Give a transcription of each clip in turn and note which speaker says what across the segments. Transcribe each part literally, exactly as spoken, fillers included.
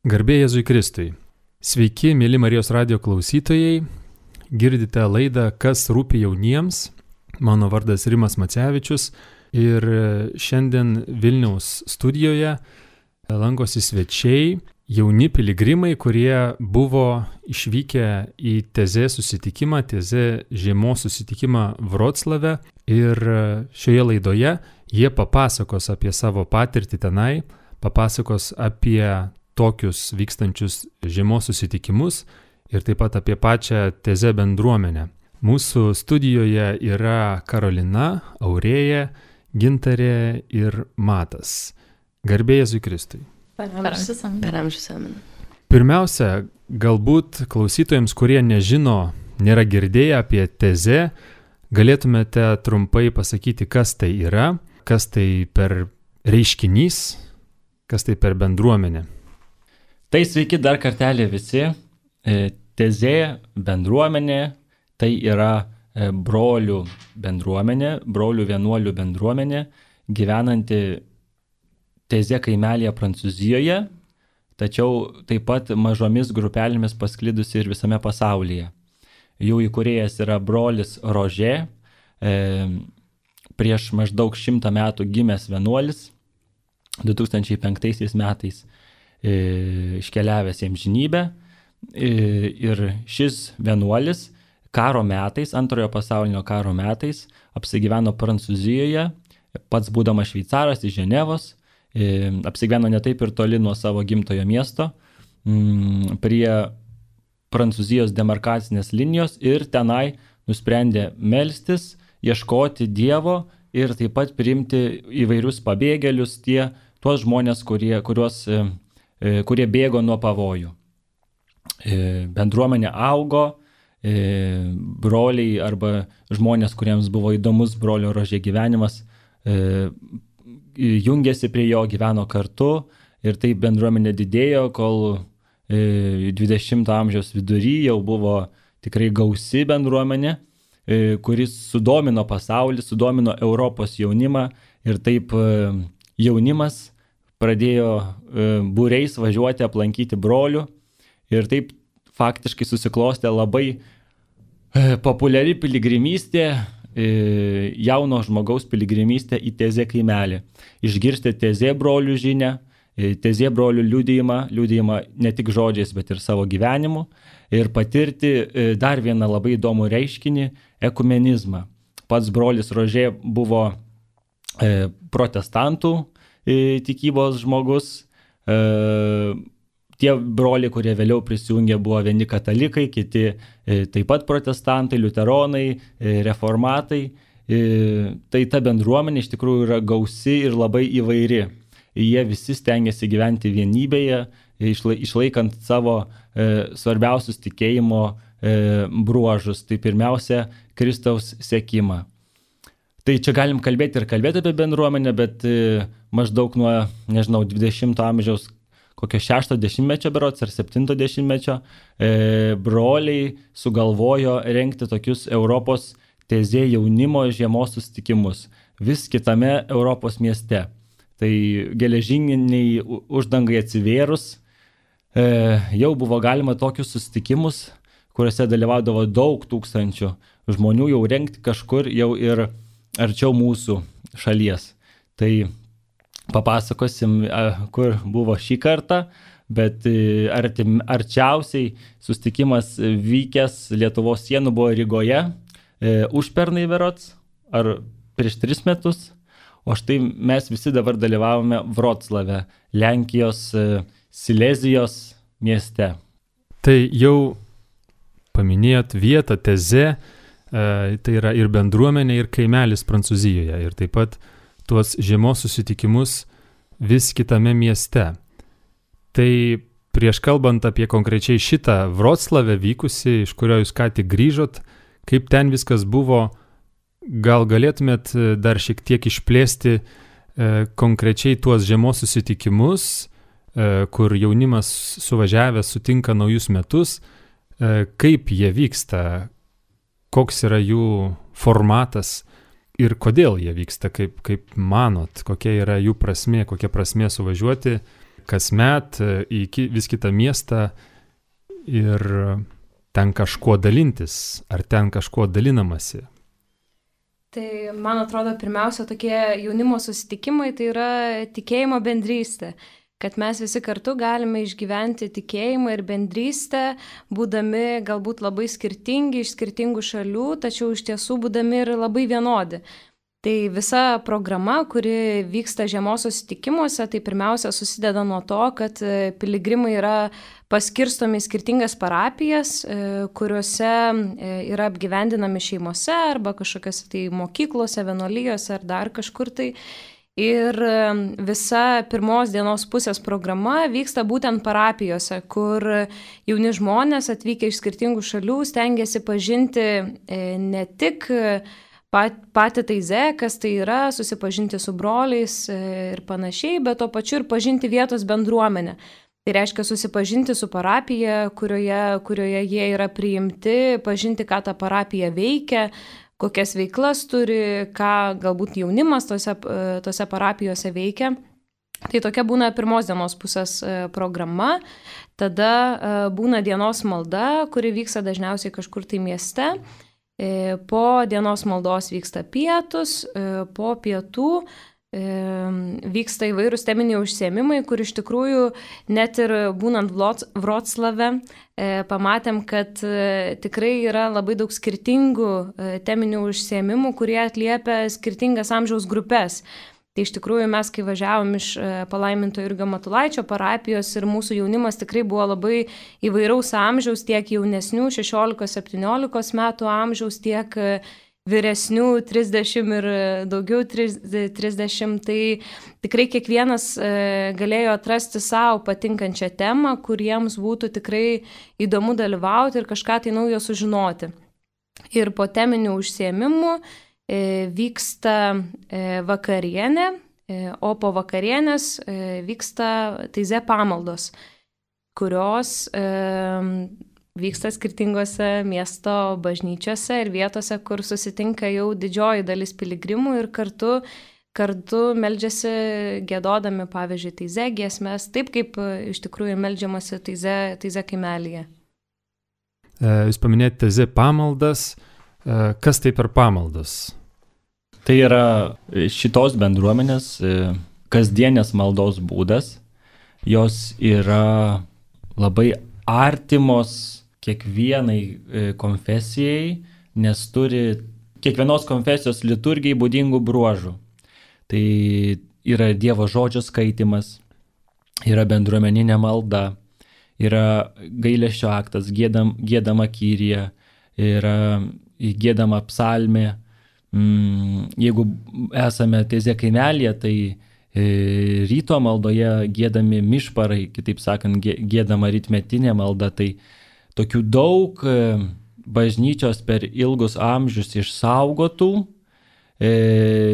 Speaker 1: Garbė Jėzui Kristui. Sveiki, mėly Marijos radijo klausytojai. Girdite laidą Kas rūpi jauniems. Mano vardas Rimas Macevičius ir šiandien Vilniaus studijoje lankosi svečiai, jauni piligrimai, kurie buvo išvykę į Tezė susitikimą, Tezė žiemos susitikimą Vroclave, ir šioje laidoje jie papasakos apie savo patirtį tenai, papasakos apie tokius vykstančius žiemos susitikimus ir taip pat apie pačią Tezė bendruomenę. Mūsų studijoje yra Karolina, Aurėja, Gintarė ir Matas. Garbė Jėzui Kristui.
Speaker 2: Per amžius amen.
Speaker 1: Pirmiausia, galbūt klausytojams, kurie nežino, nėra girdėję apie Tezė, galėtumėte trumpai pasakyti, kas tai yra, kas tai per reiškinys, kas tai per bendruomenė.
Speaker 3: Tai sveiki dar kartelį visi. Tezė bendruomenė, tai yra brolių bendruomenė, brolių vienuolių bendruomenė, gyvenanti Tezė kaimelėje Prancūzijoje, tačiau taip pat mažomis grupelėmis pasklidusi ir visame pasaulyje. Jų įkūrėjas yra brolis Rožė, e, prieš maždaug šimtą metų gimęs vienuolis, du tūkstančiai penktaisiais metais e, iškeliavęs į amžinybę. E, ir šis vienuolis karo metais, antrojo pasaulinio karo metais, apsigyveno Prancūzijoje, pats būdamas šveicaras iš Ženevos, e, apsigyveno ne taip ir toli nuo savo gimtojo miesto, m, prie Prancūzijos demarkacinės linijos, ir tenai nusprendė melstis, ieškoti Dievo ir taip pat priimti įvairius pabėgėlius, tie, tuos žmonės, kurie, kuriuos, e, kurie bėgo nuo pavojų. E, bendruomenė augo, e, broliai arba žmonės, kuriems buvo įdomus brolio Rožė gyvenimas, e, jungėsi prie jo, gyveno kartu, ir taip bendruomenė didėjo, kol e, dvidešimto amžiaus vidury jau buvo tikrai gausi bendruomenė, e, kuris sudomino pasaulį, sudomino Europos jaunimą, ir taip e, jaunimas pradėjo e, būriais važiuoti aplankyti brolių, ir taip faktiškai susiklostė labai e, populiari piligrimystė, e, jauno žmogaus piligrimystė į Tezė kaimelį. Išgirsti Tezė brolių žinią, e, Tezė brolių liudijimą, liudijimą ne tik žodžiais, bet ir savo gyvenimu, ir patirti e, dar vieną labai įdomų reiškinį – ekumenizmą. Pats brolis Rožė buvo e, protestantų e, tikybos žmogus, e, tie broliai, kurie vėliau prisijungė, buvo vieni katalikai, kiti e, taip pat protestantai, liuteronai, e, reformatai. E, tai ta bendruomenė iš tikrųjų yra gausi ir labai įvairi. Jie visi stengiasi gyventi vienybėje, išla, išlaikant savo e, svarbiausius tikėjimo e, bruožus. Tai pirmiausia, Kristaus sekimą. Tai čia galim kalbėti ir kalbėti apie bendruomenę, bet e, maždaug nuo, nežinau, dvidešimto amžiaus kokio šešto dešimtmečio berods ar septinto dešimtmečio e, broliai sugalvojo rengti tokius Europos Tezė jaunimo žiemos susitikimus vis kitame Europos mieste. Tai geležiniai uždangai atsivėrus e, jau buvo galima tokius susitikimus, kuriuose dalyvaudavo daug tūkstančių žmonių, jau rengti kažkur jau ir arčiau mūsų šalies. Tai papasakosim, kur buvo šį kartą, bet artim, arčiausiai susitikimas vykęs Lietuvos sienų buvo Rygoje, e, užpernai berods, ar prieš tris metus, o štai mes visi dabar dalyvavome Vroclave, Lenkijos e, Silezijos mieste.
Speaker 1: Tai jau paminėjot vietą Tezė, e, tai yra ir bendruomenė, ir kaimelis Prancūzijoje, ir taip pat tuos žiemos susitikimus vis kitame mieste. Tai prieš kalbant apie konkrečiai šitą Vroclave vykusi, iš kurio jūs ką tik grįžot, kaip ten viskas buvo, gal galėtumėt dar šiek tiek išplėsti e, konkrečiai tuos žiemos susitikimus, e, kur jaunimas suvažiavęs sutinka naujus metus, e, kaip jie vyksta, koks yra jų formatas, ir kodėl jie vyksta, kaip, kaip manot, kokia yra jų prasmė, kokia prasmė suvažiuoti, kasmet į vis kitą miestą ir ten kažkuo dalintis, ar ten kažkuo dalinamasi?
Speaker 2: Tai, man atrodo, pirmiausia, tokie jaunimo susitikimai tai yra tikėjimo bendrystė, kad mes visi kartu galime išgyventi tikėjimą ir bendrystę, būdami galbūt labai skirtingi iš skirtingų šalių, tačiau iš tiesų būdami ir labai vienodi. Tai visa programa, kuri vyksta žiemos susitikimuose, tai pirmiausia susideda nuo to, kad piligrimai yra paskirstomi į skirtingas parapijas, kuriuose yra apgyvendinami šeimose arba kažkokiose tai mokyklose, vienuolijose ar dar kažkur tai. Ir visa pirmos dienos pusės programa vyksta būtent parapijose, kur jauni žmonės atvykę iš skirtingų šalių stengiasi pažinti ne tik Pat, patį taizę, kas tai yra, susipažinti su broliais ir panašiai, bet to pačiu ir pažinti vietos bendruomenę. Tai reiškia susipažinti su parapija, kurioje, kurioje jie yra priimti, pažinti, ką ta parapija veikia, kokias veiklas turi, ką galbūt jaunimas tose, tose parapijose veikia. Tai tokia būna pirmos dienos pusės programa. Tada būna dienos malda, kuri vyksta dažniausiai kažkur tai mieste. Po dienos maldos vyksta pietus, po pietų vyksta įvairūs teminiai užsiėmimai, kur iš tikrųjų net ir būnant Vroclave pamatėm, kad tikrai yra labai daug skirtingų teminių užsiėmimų, kurie atliepia skirtingas amžiaus grupės. Tai iš tikrųjų mes, kai važiavom iš palaiminto Jurgio Matulaičio parapijos ir mūsų jaunimas tikrai buvo labai įvairaus amžiaus, tiek jaunesnių šešiolikos septyniolikos metų amžiaus, tiek vyresnių trisdešimt ir daugiau trisdešimt. Tai tikrai kiekvienas galėjo atrasti savo patinkančią temą, kuriems būtų tikrai įdomu dalyvauti ir kažką tai naujo sužinoti. Ir po teminių užsiėmimų vyksta vakarienė, o po vakarienės vyksta taizė pamaldos, kurios vyksta skirtingose miesto bažnyčiose ir vietose, kur susitinka jau didžioji dalis piligrimų ir kartu, kartu meldžiasi giedodami, pavyzdžiui, taizė giesmes, taip kaip iš tikrųjų meldžiamasi taizė, taizė kaimelyje.
Speaker 1: Jūs paminėjote taizė pamaldas. Kas tai per pamaldas?
Speaker 3: Tai yra šitos bendruomenės kasdienės maldos būdas. Jos yra labai artimos kiekvienai konfesijai, nes turi kiekvienos konfesijos liturgijai būdingų bruožų. Tai yra Dievo žodžio skaitimas, yra bendruomeninė malda, yra gailesčio aktas, giedam, giedama kyrija, yra giedama psalmė. Jeigu esame taizė kaimelyje, tai ryto maldoje giedami mišparai, kitaip sakant, giedama rytmetinė malda. Tai tokių daug bažnyčios per ilgus amžius išsaugotų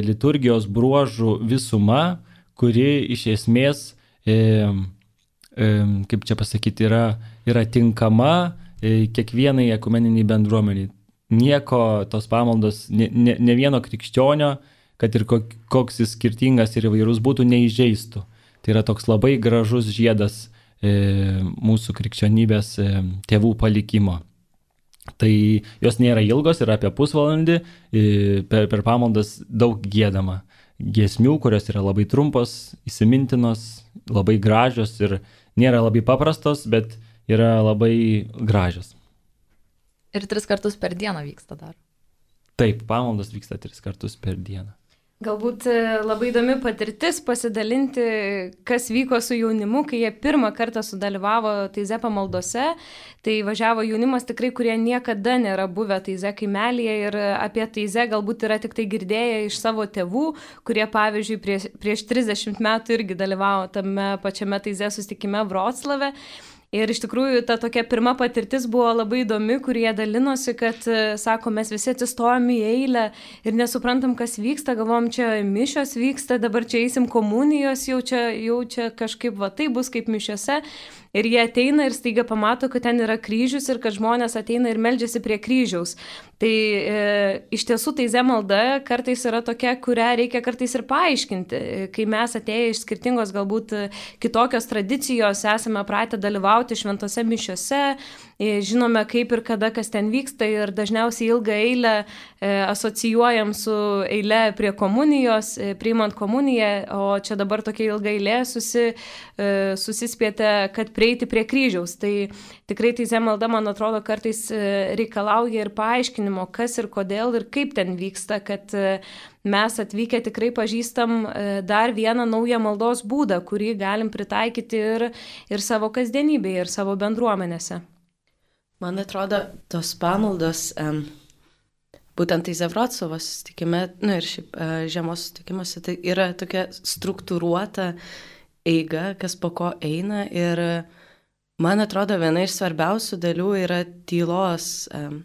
Speaker 3: liturgijos bruožų visuma, kuri iš esmės, kaip čia pasakyti, yra, yra tinkama kiekvienai ekumeniniai bendruomeniai. Nieko tos pamaldos, ne, ne, ne vieno krikščionio, kad ir koks jis skirtingas ir įvairus būtų, neįžeistų. Tai yra toks labai gražus žiedas e, mūsų krikščionybės e, tėvų palikimo. Tai jos nėra ilgos, yra apie pusvalandį, e, per, per pamaldas daug giedama. Giesmių, kurios yra labai trumpos, įsimintinos, labai gražios ir nėra labai paprastos, bet yra labai gražios.
Speaker 4: Ir tris kartus per dieną vyksta dar.
Speaker 3: Taip, pamaldos vyksta tris kartus per dieną.
Speaker 2: Galbūt labai įdomi patirtis pasidalinti, kas vyko su jaunimu, kai jie pirmą kartą sudalyvavo taizė pamaldose. Tai važiavo jaunimas tikrai, kurie niekada nėra buvę taizė kaimelyje ir apie taizę galbūt yra tik tai girdėję iš savo tėvų, kurie pavyzdžiui prieš, prieš trisdešimt metų irgi dalyvavo tame pačiame taizė susitikime Vroclave. Ir iš tikrųjų ta tokia pirma patirtis buvo labai įdomi, kur jie dalinosi, kad, sako, mes visi atsistojom į eilę ir nesuprantam, kas vyksta, galvom, čia mišios vyksta, dabar čia eisim komunijos, jau čia, jau čia kažkaip va tai bus kaip mišiose. Ir jie ateina ir staiga pamato, kad ten yra kryžius ir kad žmonės ateina ir meldžiasi prie kryžiaus. Tai e, iš tiesų taize malda kartais yra tokia, kurią reikia kartais ir paaiškinti. Kai mes atėję iš skirtingos galbūt kitokios tradicijos esame pratę dalyvauti šventose mišiose, e, žinome kaip ir kada kas ten vyksta ir dažniausiai ilgą eilę e, asocijuojam su eile prie komunijos, e, priimant komuniją, o čia dabar tokia ilga eilė susi, e, susispėte, kad prieiti prie kryžiaus. Tai tikrai taize malda, man atrodo, kartais reikalauja ir paaiškinimo, kas ir kodėl ir kaip ten vyksta, kad mes atvykę tikrai pažįstam dar vieną naują maldos būdą, kurį galim pritaikyti ir, ir savo kasdienybėje, ir savo bendruomenėse.
Speaker 5: Man atrodo, tos pamaldos, um, būtent Taize Vroclavo susitikime, nu ir šiaip uh, žiemos susitikimuose, tai yra tokia struktūruota eiga, kas po ko eina ir man atrodo, viena iš svarbiausių dalių yra tylos, um,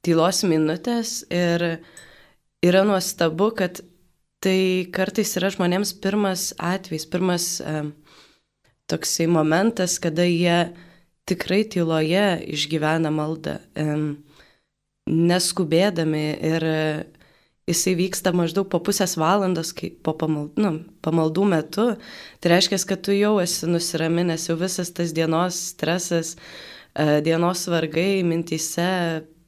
Speaker 5: tylos minutės ir yra nuostabu, kad tai kartais yra žmonėms pirmas atvejs, pirmas um, toksai momentas, kada jie tikrai tyloje išgyvena maldą, um, neskubėdami ir jisai vyksta maždaug po pusės valandos, kai po pamaldų, nu, pamaldų metu. Tai reiškia, kad tu jau esi nusiraminęs, jau visas tas dienos stresas, dienos vargai mintyse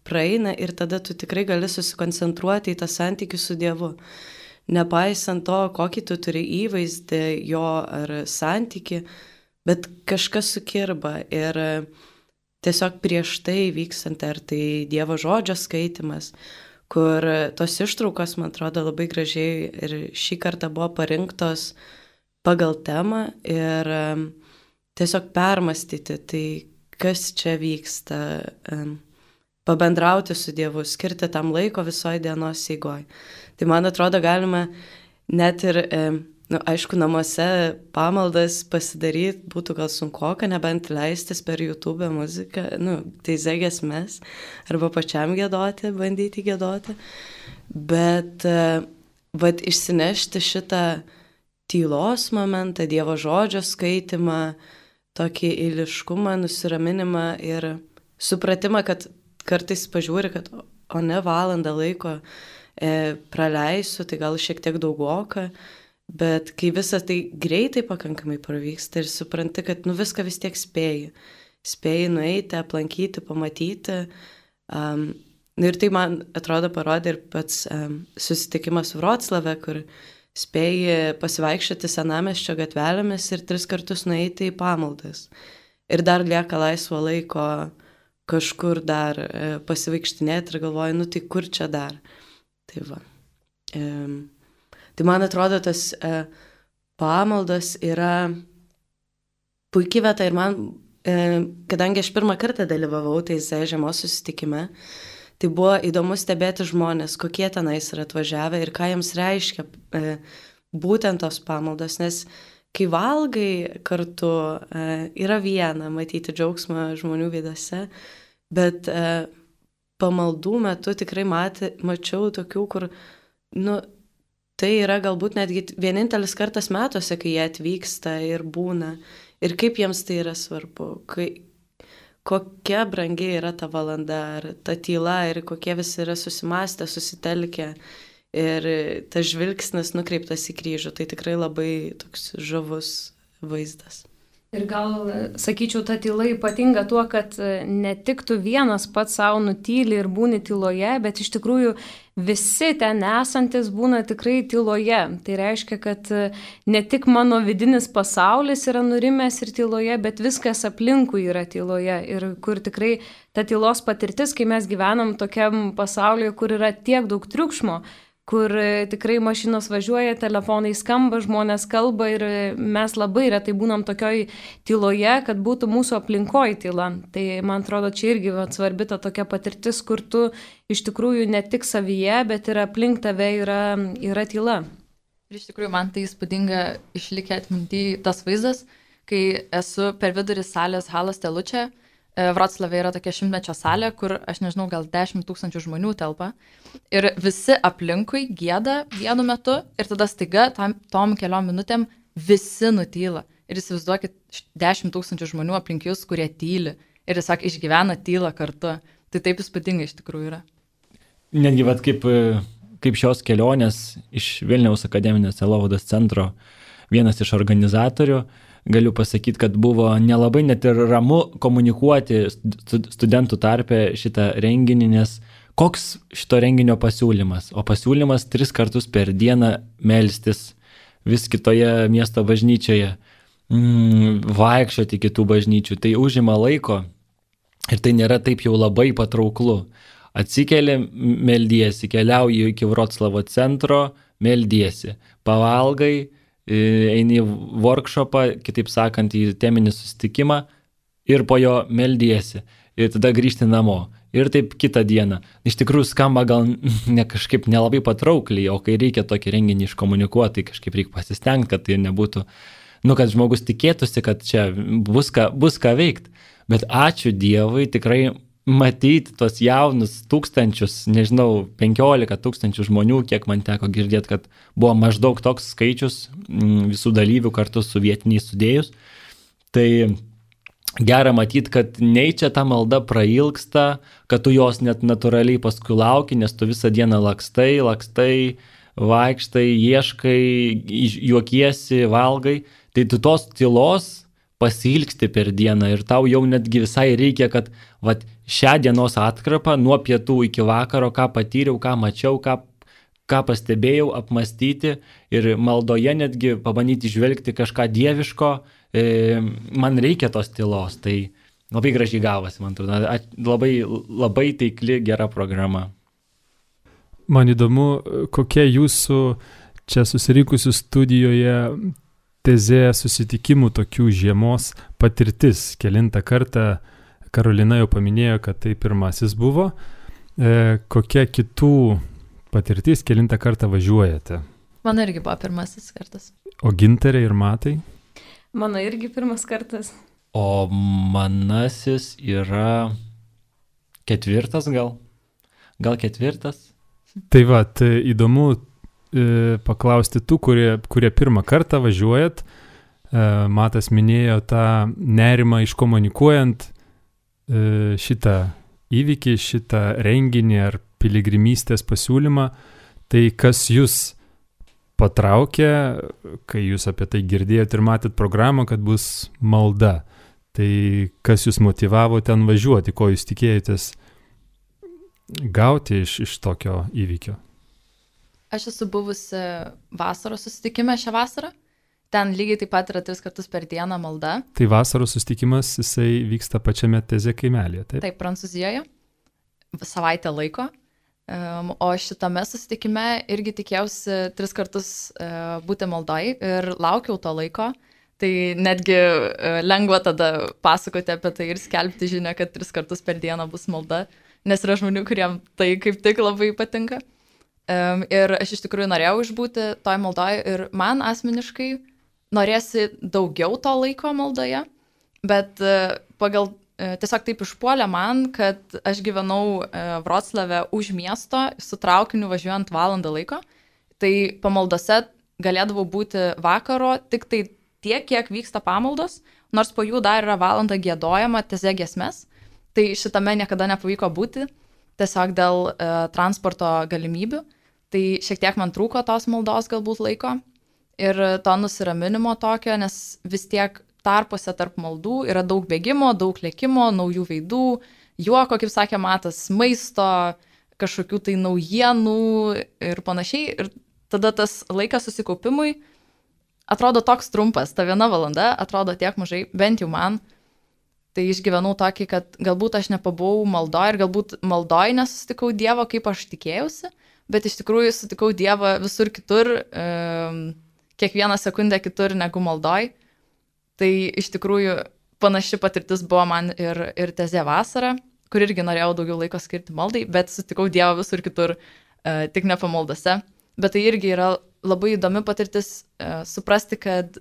Speaker 5: praeina ir tada tu tikrai gali susikoncentruoti į tą santykį su Dievu. Nepaisant to, kokį tu turi įvaizdį jo ar santykį, bet kažkas sukirba ir tiesiog prieš tai vykstant, ar tai Dievo žodžio skaitimas, kur tos ištraukos, man atrodo, labai gražiai ir šį kartą buvo parinktos pagal temą ir um, tiesiog permastyti, tai kas čia vyksta, um, pabendrauti su Dievu, skirti tam laiko visoje dienos eigoje. Tai man atrodo, galima net ir, um, nu, aišku, namuose pamaldas pasidaryti būtų gal sunkoka, nebent leistis per YouTube muziką, nu, taize giesmes, arba pačiam giedoti, bandyti giedoti. Bet, vat, išsinešti šitą tylos momentą, Dievo žodžio skaitimą, tokį eiliškumą, nusiraminimą ir supratimą, kad kartais pažiūri, kad o ne valandą laiko e, praleisiu, tai gal šiek tiek daugoka. Bet kai visas tai greitai pakankamai pavyksta ir supranti, kad nu, viską vis tiek spėji. Spėji nueiti, aplankyti, pamatyti. Um, ir tai man atrodo parodė ir pats um, susitikimas Vroclave, kur spėji pasivaikščioti senamiesčio gatvelėmis ir tris kartus nueiti į pamaldas. Ir dar lieka laisvo laiko kažkur dar e, pasivaikštinėti ir galvoju, nu tai kur čia dar. Tai va. Um, Tai man atrodo, tas e, pamaldos yra puikiai vieta ir man, e, kadangi aš pirmą kartą dalyvavau taize žiemos susitikime, tai buvo įdomu stebėti žmonės, kokie tenais yra atvažiavę ir ką jiems reiškia e, būtent tos pamaldos, nes kai valgai kartu e, yra viena matyti džiaugsmą žmonių veidose, bet e, pamaldų metu tikrai matė, mačiau tokių, kur, nu, tai yra galbūt netgi vienintelis kartas metuose, kai jie atvyksta ir būna. Ir kaip jiems tai yra svarbu. Kai, kokia brangi yra ta valanda, ar ta tyla, ir kokie visi yra susimastę, susitelkę. Ir tas žvilgsnis nukreiptas į kryžių. Tai tikrai labai toks žavus vaizdas.
Speaker 2: Ir gal, sakyčiau, ta tyla ypatinga tuo, kad ne tik tu vienas pats savo nutyli ir būni tyloje, bet iš tikrųjų visi ten esantis būna tikrai tyloje. Tai reiškia, kad ne tik mano vidinis pasaulis yra nurimęs ir tyloje, bet viskas aplinkui yra tyloje. Ir kur tikrai ta tylos patirtis, kai mes gyvenam tokiam pasaulyje, kur yra tiek daug triukšmo, kur tikrai mašinos važiuoja, telefonai skamba, žmonės kalba ir mes labai retai būnam tokioj tyloje, kad būtų mūsų aplinkoj tyla. Tai man atrodo, čia irgi va, svarbi ta tokia patirtis, kur tu iš tikrųjų ne tik savyje, bet ir aplink tave yra, yra tyla.
Speaker 4: Ir iš tikrųjų man tai įspūdinga išlikę atminty tas vaizdas, kai esu per vidurį salės Halos Telučia. Vroclave yra tokia šimtmečio salė, kur, aš nežinau, gal dešimt tūkstančių žmonių telpa. Ir visi aplinkui gieda vienu metu ir tada staiga tam, tom keliom minutėm visi nutyla. Ir įsivaizduokit dešimt tūkstančių žmonių aplink jūs, kurie tyli. Ir tiesiog išgyvena tylą kartu. Tai taip įspūdinga iš tikrųjų yra.
Speaker 3: netgi vat, kaip, kaip šios kelionės iš Vilniaus akademinės sielovados centro vienas iš organizatorių, galiu pasakyti, kad buvo nelabai net ir ramu komunikuoti studentų tarpe šitą renginį, nes koks šito renginio pasiūlymas? O pasiūlymas tris kartus per dieną melstis vis kitoje miesto bažnyčioje, mm, vaikščioti kitų bažnyčių. Tai užima laiko ir tai nėra taip jau labai patrauklu. Atsikeli, meldiesi, keliauji iki Vroclavo centro, meldiesi, pavalgai, eini į workshopą, kitaip sakant, į teminį susitikimą ir po jo meldiesi ir tada grįžti namo. Ir taip kitą dieną. Iš tikrųjų skamba gal ne kažkaip nelabai patraukliai, o kai reikia tokį renginį iškomunikuoti, tai kažkaip reikia pasistengti, kad tai nebūtų, nu, kad žmogus tikėtųsi, kad čia bus ką, bus ką veikti. Bet ačiū Dievui, tikrai matyti tos jaunus tūkstančius, nežinau, penkiolika tūkstančių žmonių, kiek man teko girdėti, kad buvo maždaug toks skaičius visų dalyvių kartu su vietiniais sudėjus. Tai gera matyti, kad nei čia ta malda prailgsta, kad tu jos net natūraliai paskui lauki, nes tu visą dieną lakstai, lakstai, vaikštai, ieškai, juokiesi, valgai. Tai tu tos tylos pasilgsti per dieną ir tau jau netgi visai reikia, kad vat, šią dienos atkarpą nuo pietų iki vakaro, ką patyriau, ką mačiau, ką, ką pastebėjau, apmastyti ir maldoje netgi pabandyti žvelgti kažką dieviško, e, man reikia tos tylos. Tai labai gražiai gavosi, man atrodo, labai, labai taikli, gera programa.
Speaker 1: Man įdomu, kokia jūsų čia susirinkusių studijoje tezė susitikimų tokių žiemos patirtis. Kelintą kartą Karolina jau paminėjo, kad tai pirmasis buvo. E, kokia kitų patirtis, kelintą kartą važiuojate?
Speaker 4: Mano irgi buvo pirmasis kartas.
Speaker 1: O Gintarė ir Matai?
Speaker 2: Mano irgi pirmas kartas.
Speaker 3: O manasis yra ketvirtas gal? Gal ketvirtas?
Speaker 1: Tai va, tai įdomu paklausti tų, kurie, kurie pirmą kartą važiuojat. Matas minėjo tą nerimą iškomunikuojant šitą įvykį, šitą renginį ar piligrimystės pasiūlymą. Tai kas jūs patraukė, kai jūs apie tai girdėjot ir matėt programą, kad bus malda? Tai kas jūs motivavo ten važiuoti, ko jūs tikėjotės gauti iš, iš tokio įvykio?
Speaker 4: Aš esu buvusi vasaros susitikime šią vasarą. Ten lygiai taip pat yra tris kartus per dieną malda.
Speaker 1: Tai vasaros susitikimas, jisai vyksta pačiame Tezė kaimelėje, taip?
Speaker 4: Taip, Prancūzijoje. Savaitę laiko. Um, o šitame susitikime irgi tikėjausi tris kartus uh, būti maldoj ir laukiau to laiko. Tai netgi uh, lengva tada pasakoti apie tai ir skelbti žinią, kad tris kartus per dieną bus malda. Nes yra žmonių, kuriem tai kaip tik labai patinka. Um, ir aš iš tikrųjų norėjau išbūti toj maldoje ir man asmeniškai norėsi daugiau to laiko maldoje, bet uh, pagal uh, tiesiog taip išpuolė man, kad aš gyvenau uh, Vroclave už miesto, su traukiniu važiuojant valandą laiko, tai pamaldose galėdavau būti vakaro tik tai tiek, kiek vyksta pamaldos, nors po jų dar yra valanda giedojama tezė giesmes, tai šitame niekada nepavyko būti, tiesiog dėl uh, transporto galimybių. Tai šiek tiek man trūko tos maldos galbūt laiko ir to nusiraminimo tokio, nes vis tiek tarpuose tarp maldų yra daug bėgimo, daug lėkimo, naujų veidų, juoko, kaip sakė Matas, maisto, kažkokių tai naujienų ir panašiai. Ir tada tas laikas susikaupimui atrodo toks trumpas, ta viena valanda atrodo tiek mažai, bent jau man. Tai išgyvenau tokį, kad galbūt aš nepabuvau maldoj ir galbūt maldoj nesusitikau Dievo, kaip aš tikėjausi. Bet iš tikrųjų sutikau Dievą visur kitur, e, kiekvieną sekundę kitur negu maldoj. Tai iš tikrųjų panaši patirtis buvo man ir, ir tezė vasara, kur irgi norėjau daugiau laiko skirti maldai, bet sutikau Dievą visur kitur, e, tik ne pamaldose. Bet tai irgi yra labai įdomi patirtis e, suprasti, kad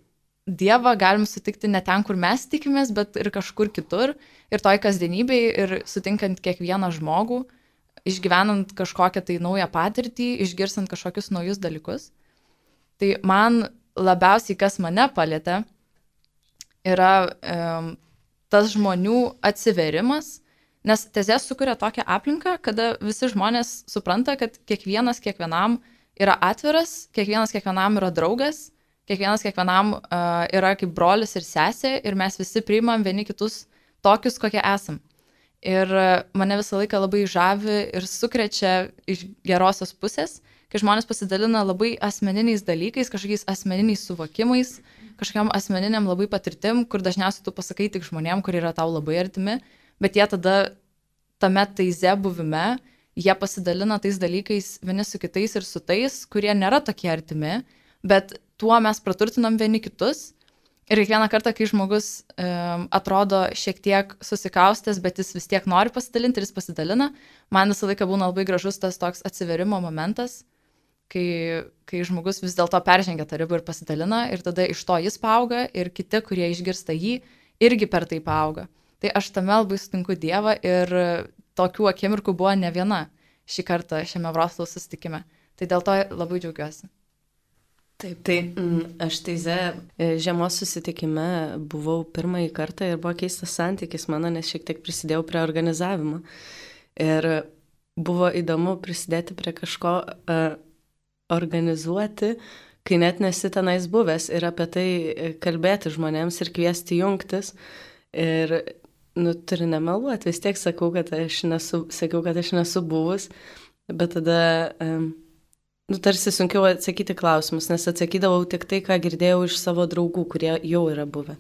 Speaker 4: Dievą galim sutikti ne ten, kur mes tikimės, bet ir kažkur kitur, ir toj kasdienybėj, ir sutinkant kiekvieną žmogų, išgyvenant kažkokią tai naują patirtį, išgirstant kažkokius naujus dalykus. Tai man labiausiai, kas mane palietė, yra e, tas žmonių atsiverimas, Nes tezė sukuria tokią aplinką, kada visi žmonės supranta, kad kiekvienas kiekvienam yra atviras, kiekvienas kiekvienam yra draugas, kiekvienas kiekvienam uh, yra kaip brolis ir sesė ir mes visi priimam vieni kitus tokius, kokie esam. Ir mane visą laiką labai žavi ir sukrečia iš gerosios pusės, kai žmonės pasidalina labai asmeniniais dalykais, kažkokiais asmeniniais suvokimais, kažkokiam asmeniniam labai patirtim, kur dažniausiai tu pasakai tik žmonėm, kurie yra tau labai artimi, bet jie tada tame taize buvime, jie pasidalina tais dalykais vieni su kitais ir su tais, kurie nėra tokie artimi, bet tuo mes praturtinam vieni kitus. Ir kiekvieną kartą, kai žmogus um, atrodo šiek tiek susikaustęs, bet jis vis tiek nori pasidalinti ir jis pasidalina, man visą laiką būna labai gražus tas toks atsiverimo momentas, kai, kai žmogus vis dėlto peržengia tą ribą ir pasidalina ir tada iš to jis paauga ir kiti, kurie išgirsta jį, irgi per tai paauga. Tai aš tame labai sutinku Dievą ir tokių akimirkų buvo ne viena šį kartą šiame Vroclavo susitikime. Tai dėl to labai džiaugiuosi.
Speaker 5: Taip, tai mm, aš teize žiemos susitikime buvau pirmąjį kartą ir buvo keistas santykis mano, nes šiek tiek prisidėjau prie organizavimo. Ir buvo įdomu prisidėti prie kažko uh, organizuoti, kai net nesi tenais buvęs ir apie tai kalbėti žmonėms ir kviesti jungtis. Ir, nu, turi nemeluoti, vis tiek sakau, kad aš nesu, sakiau, kad aš nesu buvus, bet tada, um, nu, tarsi sunkiau atsakyti klausimus, nes atsakydavau tik tai, ką girdėjau iš savo draugų, kurie jau yra buvę.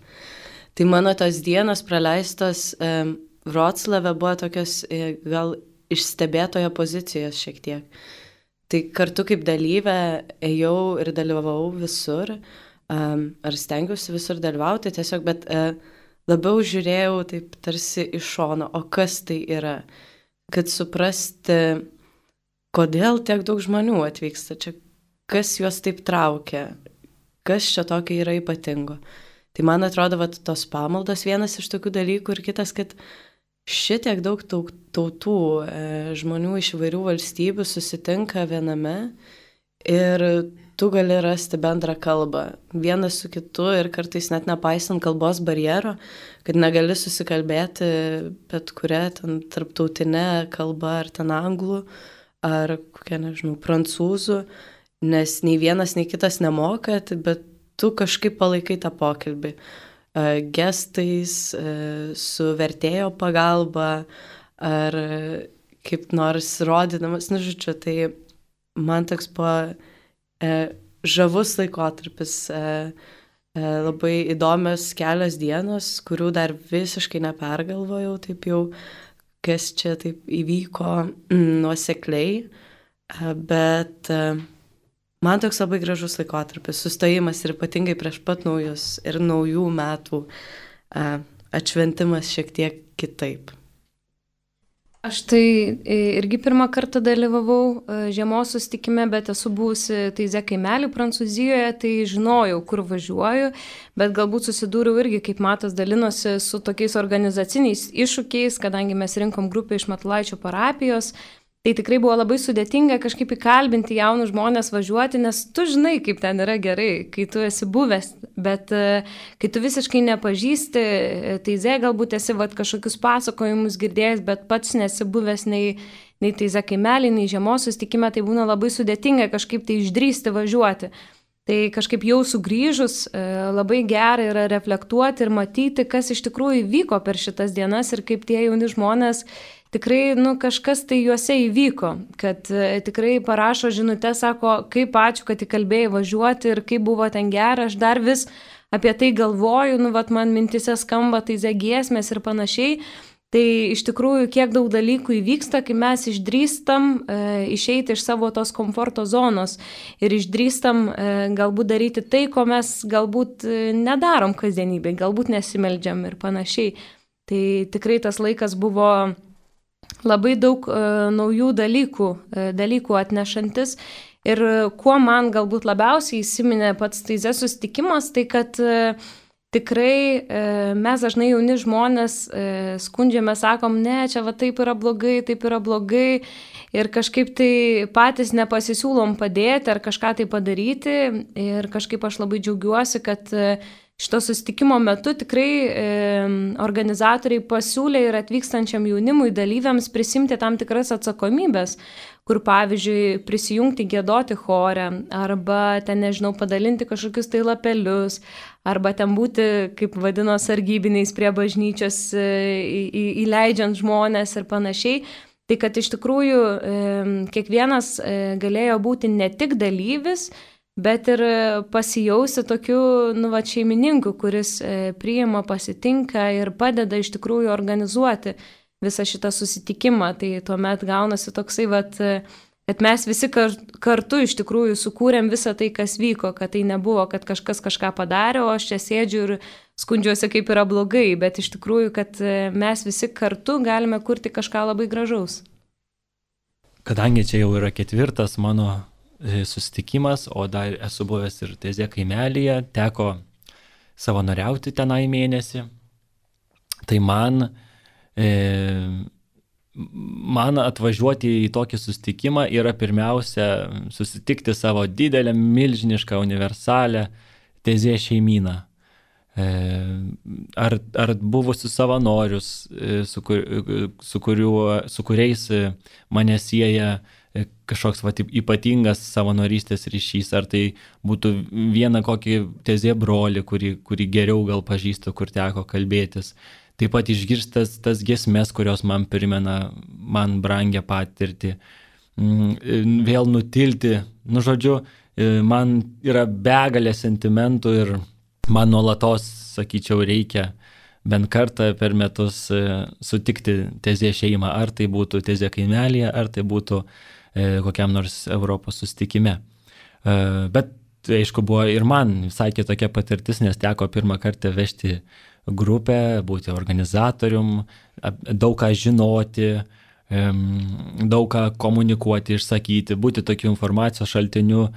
Speaker 5: Tai mano tos dienos praleistos um, Vroclave buvo tokios e, gal iš stebėtojo pozicijos šiek tiek. Tai kartu kaip dalyvė ėjau ir dalyvavau visur, um, ar stengiausi visur dalyvauti tiesiog, bet uh, labiau žiūrėjau taip tarsi iš šono, o kas tai yra, kad suprasti, kodėl tiek daug žmonių atvyksta čia, kas juos taip traukia, kas čia tokio yra ypatingo. Tai man atrodo, vat, tos pamaldos vienas iš tokių dalykų ir kitas, kad šitiek daug tautų, e, žmonių iš įvairių valstybių susitinka viename ir tu gali rasti bendrą kalbą vienas su kitu ir kartais net nepaisant kalbos barjero, kad negali susikalbėti bet kuria ten tarptautinė kalba ar ten anglų ar kokia, nežinau, prancūzų, nes nei vienas, nei kitas nemoka, bet tu kažkaip palaikai tą pokalbį. Gestais, su vertėjo pagalba ar kaip nors rodydamas, nu žodžiu, tai man toks buvo e, žavus laikotarpis, e, e, labai įdomios kelios dienos, kurių dar visiškai nepergalvojau, taip jau, kas čia taip įvyko mm, nuosekliai, e, bet e, man toks labai gražus laikotarpis, sustojimas ir ypatingai prieš pat naujus ir naujų metų a, atšventimas šiek tiek kitaip.
Speaker 2: Aš tai irgi pirmą kartą dalyvavau žiemos susitikime, bet esu buvusi Taize kaimelį Prancūzijoje, tai žinojau, kur važiuoju, bet galbūt susidūriau irgi, kaip Matas dalinosi, su tokiais organizaciniais iššūkiais, kadangi mes rinkom grupę iš Matulaičio parapijos. Tai tikrai buvo labai sudėtinga kažkaip įkalbinti jaunus žmonės važiuoti, nes tu žinai, kaip ten yra gerai, kai tu esi buvęs, bet kai tu visiškai nepažįsti, Taize galbūt esi vat, kažkokius pasakojimus girdėjęs, bet pats nesi buvęs nei, nei Taize kaimelį, nei žiemos susitikime, tai būna labai sudėtinga kažkaip tai išdrįsti važiuoti. Tai kažkaip jau sugrįžus labai gerai yra reflektuoti ir matyti, kas iš tikrųjų vyko per šitas dienas ir kaip tie jauni žmonės tikrai, nu, kažkas tai juose įvyko, kad e, tikrai parašo žinutę, sako, kaip ačiū, kad įkalbėjai važiuoti ir kaip buvo ten gera, aš dar vis apie tai galvoju, nu, vat man mintise skamba Taize giesmės ir panašiai. Tai iš tikrųjų, kiek daug dalykų įvyksta, kai mes išdrįstam e, išeiti iš savo tos komforto zonos ir išdrįstam e, galbūt daryti tai, ko mes galbūt e, nedarom kasdienybėj, galbūt nesimeldžiam ir panašiai. Tai tikrai tas laikas buvo labai daug e, naujų dalykų, e, dalykų atnešantis. Ir kuo man galbūt labiausiai įsiminė pats Taize susitikimas, tai kad e, tikrai e, mes dažnai jauni žmonės e, skundžiame, sakom, ne, čia va taip yra blogai, taip yra blogai ir kažkaip tai patys nepasisiūlom padėti ar kažką tai padaryti ir kažkaip aš labai džiaugiuosi, kad e, šito susitikimo metu tikrai e, organizatoriai pasiūlė ir atvykstančiam jaunimui dalyviams prisimti tam tikras atsakomybės, kur pavyzdžiui prisijungti giedoti chore, arba ten, nežinau, padalinti kažkokius tai lapelius, arba ten būti, kaip vadino, sargybiniais prie bažnyčios, e, į, įleidžiant žmonės ir panašiai. Tai kad iš tikrųjų e, kiekvienas e, galėjo būti ne tik dalyvis, bet ir pasijausti tokiu, nu, va, šeimininku, kuris e, priima, pasitinka ir padeda iš tikrųjų organizuoti visą šitą susitikimą. Tai tuomet gaunasi toksai, va, kad mes visi kar, kartu iš tikrųjų sukūrėm visą tai, kas vyko, kad tai nebuvo, kad kažkas kažką padarė, o aš čia sėdžiu ir skundžiuosi, kaip yra blogai, bet iš tikrųjų, kad mes visi kartu galime kurti kažką labai gražaus.
Speaker 3: Kadangi čia jau yra ketvirtas mano susitikimas, o dar esu buvęs ir Tezė kaimelyje, teko savanoriauti tenai mėnesį. Tai man, e, man atvažiuoti į tokį susitikimą yra pirmiausia susitikti savo didelę, milžinišką, universalę Tezė šeimyną. E, ar, ar buvusius savanorius, su, kur, su, kuriuo, su kuriais mane sieja kažkoks va, ypatingas savanorystės ryšys, ar tai būtų viena kokį Tezė brolį, kurį, kurį geriau gal pažįstu, kur teko kalbėtis. Taip pat išgirstas tas giesmes, kurios man primena man brangią patirtį. Vėl nutilti, nu žodžiu, man yra begalė sentimentų ir man nuolatos, sakyčiau, reikia bent kartą per metus sutikti Tezė šeimą, ar tai būtų Tezė kaimelyje, ar tai būtų kokiam nors Europos susitikime. Bet, aišku, buvo ir man visai kitokia patirtis, nes teko pirmą kartą vežti grupę, būti organizatorium, daug ką žinoti, daug ką komunikuoti, išsakyti, būti tokiu informacijos šaltiniu.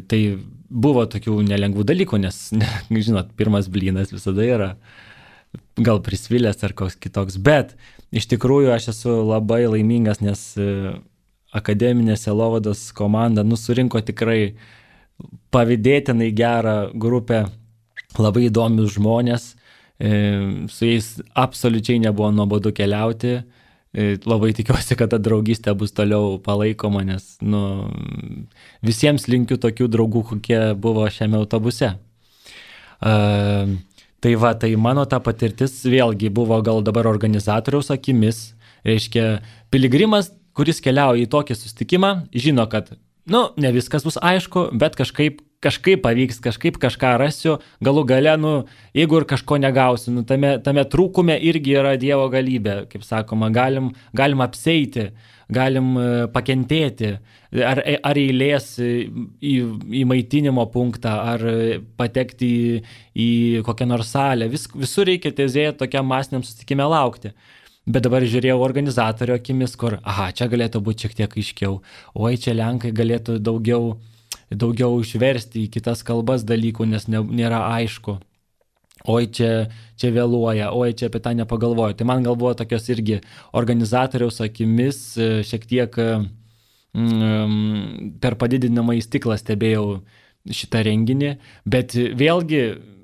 Speaker 3: Tai buvo tokių nelengvų dalykų, nes, žinot, pirmas blynas visada yra gal prisvilęs ar koks kitoks, bet iš tikrųjų aš esu labai laimingas, nes akademinė sielovados komanda nu, surinko tikrai pavydėtinai gerą grupę, labai įdomius žmonės, su jais absoliučiai nebuvo nuobodu keliauti, labai tikiuosi, kad ta draugystė bus toliau palaikoma, nes nu, visiems linkiu tokių draugų, kokie buvo šiame autobuse. Uh, tai va, tai mano ta patirtis vėlgi buvo gal dabar organizatoriaus akimis, reiškia piligrimas, kuris keliauja į tokį susitikimą, žino, kad, nu, ne viskas bus aišku, bet kažkaip, kažkaip pavyks, kažkaip kažką rasiu, galų gale, nu, jeigu ir kažko negausiu, nu, tame, tame trūkume irgi yra Dievo galybė, kaip sakoma, galim, galim apseiti, galim pakentėti, ar, ar eilės į, į maitinimo punktą, ar patekti į, į kokią nors salę, Vis, visur reikia Tezėje tokiam masiniam susitikime laukti. Bet dabar žiūrėjau organizatorio akimis, kur, aha, čia galėtų būti šiek tiek aiškiau, oi, čia Lenkai galėtų daugiau, daugiau išversti į kitas kalbas dalykų, nes ne, nėra aišku. Oi, čia, čia vėluoja, oi, čia apie tą nepagalvoju. Tai man galvoja tokios irgi organizatoriaus akimis šiek tiek mm, per padidinamą į stiklą stebėjau šitą renginį, bet vėlgi